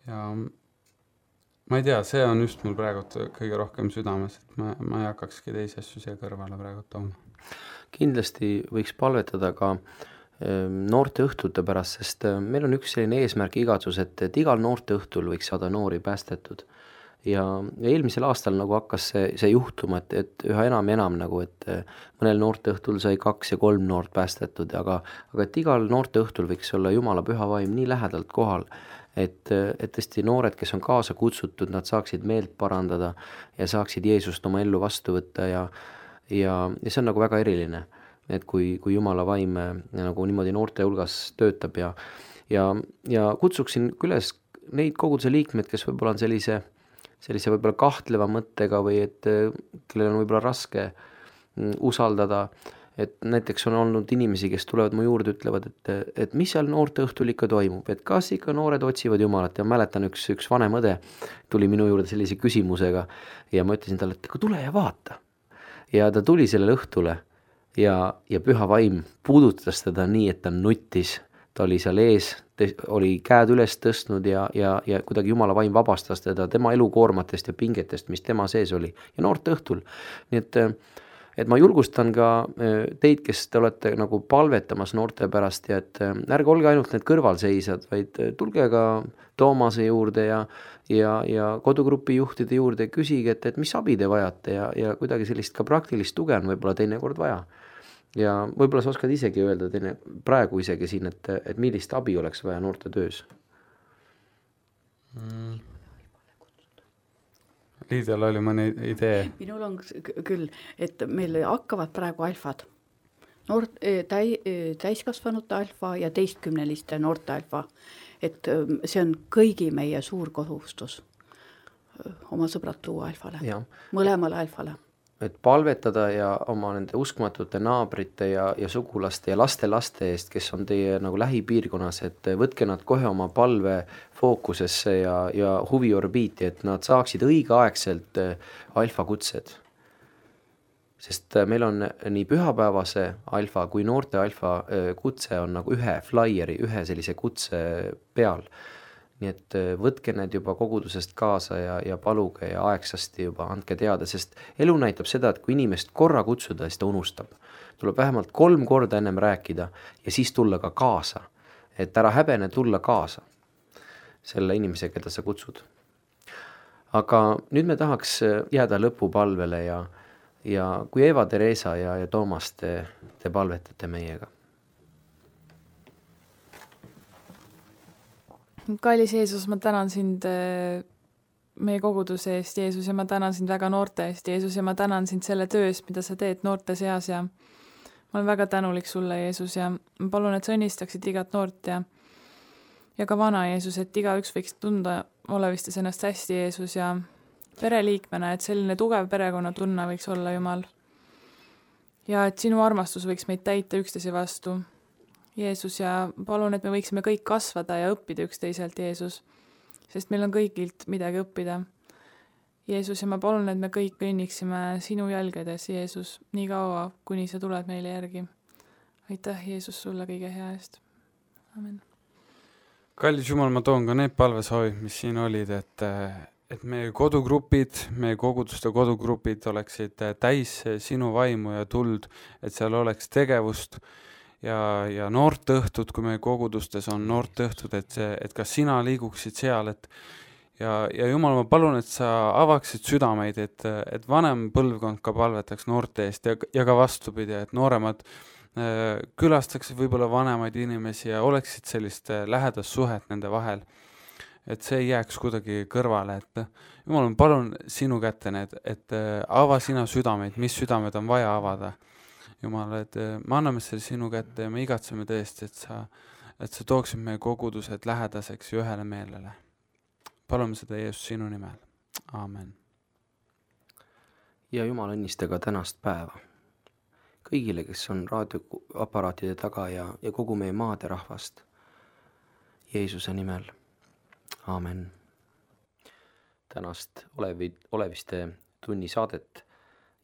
Ja ma ei tea, see on just mul praegu kõige rohkem südames, et ma ei hakkakski teisi asju siia kõrvale praegu tooma. Kindlasti võiks palvetada ka noorte õhtute pärast, sest meil on üks selline eesmärk igatsus, et igal noorte õhtul võiks saada noori päästetud. Ja eelmisel aastal nagu hakkas see juhtuma, et üha enam ja enam nagu, et mõnel noorte õhtul sai 2 ja 3 noort päästetud, aga et igal noorte õhtul võiks olla Jumala püha vaim nii lähedalt kohal, et tõesti noored, kes on kaasa kutsutud, nad saaksid meelt parandada ja saaksid Jeesust oma ellu vastu võtta ja see on nagu väga eriline, et kui Jumala vaim nagu niimoodi noorte hulgas töötab ja kutsuksin üles neid koguduse liikmed, kes võib-olla on sellise võib-olla kahtleva mõttega või et kellel on võib-olla raske usaldada, et näiteks on olnud inimesi, kes tulevad mu juurde, ütlevad, et mis seal noorte õhtul ikka toimub, et kas ikka noored otsivad Jumalat ja mäletan üks vanem õde tuli minu juurde sellise küsimusega ja ma ütlesin talle, et tule ja vaata. Ja ta tuli sellele õhtule ja püha vaim puudutas teda nii, et ta nuttis. Ta oli seal ees, oli käed üles tõstnud ja kuidagi Jumala vaim vabastas teda tema elukoormatest ja pingetest, mis tema sees oli ja noorte õhtul. Nii et ma julgustan ka teid, kes te olete nagu palvetamas noorte pärast ja et ärge olge ainult need kõrvalseisjad, vaid tulge ka Toomase juurde ja kodugrupi juhtide juurde, küsige, et mis abi te vajate ja kuidagi sellist ka praktilist tuge on võib-olla teinekord vaja. Ja võib-olla sa oskad isegi öelda praegu isegi siin, et millist abi oleks vaja noorte töös? Liidel oli mõni idee. Minul on küll, et meil hakkavad praegu alfad. Täiskasvanute alfa ja 10 noorte alfa. Et see on kõigi meie suur kohustus oma sõbrad tuua alfale, mõlemale alfale. Et palvetada ja oma nende uskmatute naabrite ja sugulaste ja laste eest, kes on teie nagu lähipiirkonnas, et võtke nad kohe oma palve fookusesse ja huviorbiiti, et nad saaksid õigeaegselt alfa kutsed. Sest meil on nii pühapäevase alfa kui noorte alfa kutse on nagu ühe flyeri, ühe sellise kutse peal. Nii et võtke need juba kogudusest kaasa ja paluge ja aegsasti juba andke teada, sest elu näitab seda, et kui inimest korra kutsuda, siis ta unustab. Tuleb vähemalt 3 korda ennem rääkida ja siis tulla ka kaasa. Et ära häbene tulla kaasa selle inimese, keda sa kutsud. Aga nüüd me tahaks jääda lõpupalvele ja kui Eva Teresa ja Toomas te palvetate meiega. Kallis Jeesus, ma tänan sind meie koguduse eest, Jeesus, ja ma tänan sind väga noorte eest, Jeesus, ja ma tänan sind selle töö eest, mida sa teed noorte seas ja ma olen väga tänulik sulle, Jeesus, ja ma palun, et sa õnnistaksid igat noort ja ka vana, Jeesus, et igaüks võiks tunda olevistas ennast hästi Jeesus ja pereliikmena, et selline tugev perekonnatunne võiks olla Jumal. Ja et sinu armastus võiks meid täita üksteise vastu. Jeesus, ja palun, et me võiksime kõik kasvada ja õppida üksteiselt, Jeesus, sest meil on kõigilt midagi õppida. Jeesus, ja ma palun, et me kõik kõnniksime sinu jälgedes, Jeesus, nii kaua, kuni sa tuled meile järgi. Aitäh, Jeesus, sulle kõige hea eest. Amen. Kallis Jumal, ma toon ka need palvesoovid, mis siin olid, et meie kodugrupid, meie koguduste kodugrupid oleksid täis sinu vaimu ja tuld, et seal oleks tegevust ja noortõhtud, kui meie kogudustes on noortõhtud, et ka sina liiguksid seal, ja Jumal, ma palun, et sa avaksid südameid, et vanem põlvkond ka palvetaks noorte eest ja ka vastupidi, et nooremad külastaksid võib-olla vanemaid inimesi ja oleksid sellist lähedast suhet nende vahel, et see ei jääks kuidagi kõrvale, et Jumal, ma palun sinu kätte need, et ava sina südameid, mis südamed on vaja avada. Jumal, et me anname selle sinu kätte ja me igatseme tõesti, et sa tooksid meie kogudused lähedaseks ja ühele meelele. Palume seda Jeesus sinu nimel. Amen. Ja Jumal õnnista ka tänast päeva. Kõigile, kes on raadioaparaatide taga ja kogu meie maade rahvast. Jeesuse nimel. Amen. Tänast oleviste tunni saadet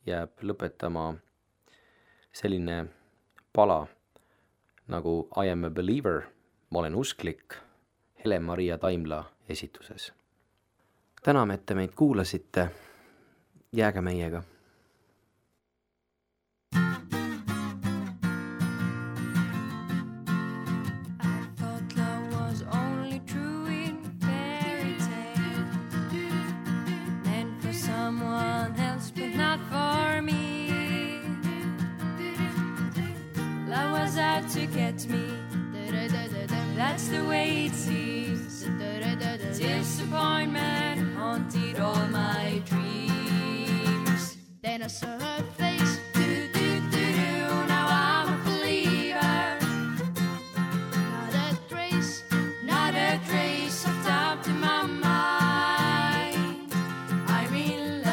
jääb lõpetama selline pala nagu I am a believer, ma olen usklik, Helen-Maria Taimla esituses. Täname, et te meid kuulasite, jääge meiega. To get me, that's the way it seems. Disappointment haunted all my dreams. Then I saw her face. Now I'm a believer. Not a trace of doubt in my mind. I'm in love.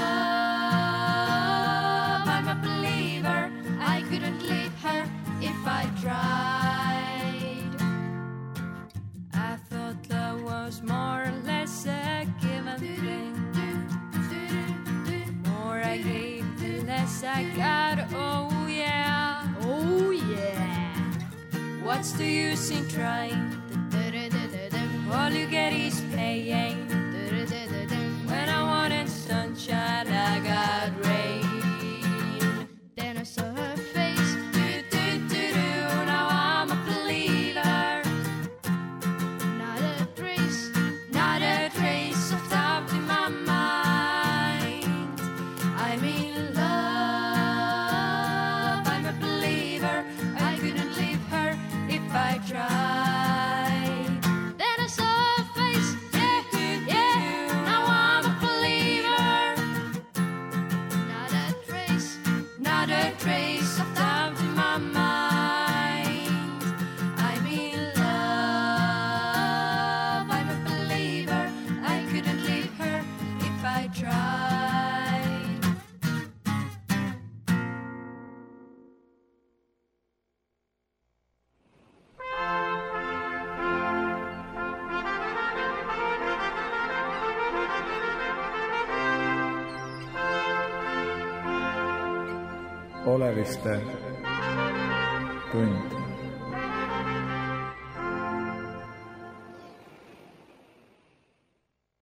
I'm a believer. I couldn't leave her if I tried. I thought love was more or less a given thing. The more I gave, the less I got. Oh yeah, oh yeah. What's the use in trying? All you get is pain. When I wanted sunshine, I got rain. Then I saw her face. Oleviste tund.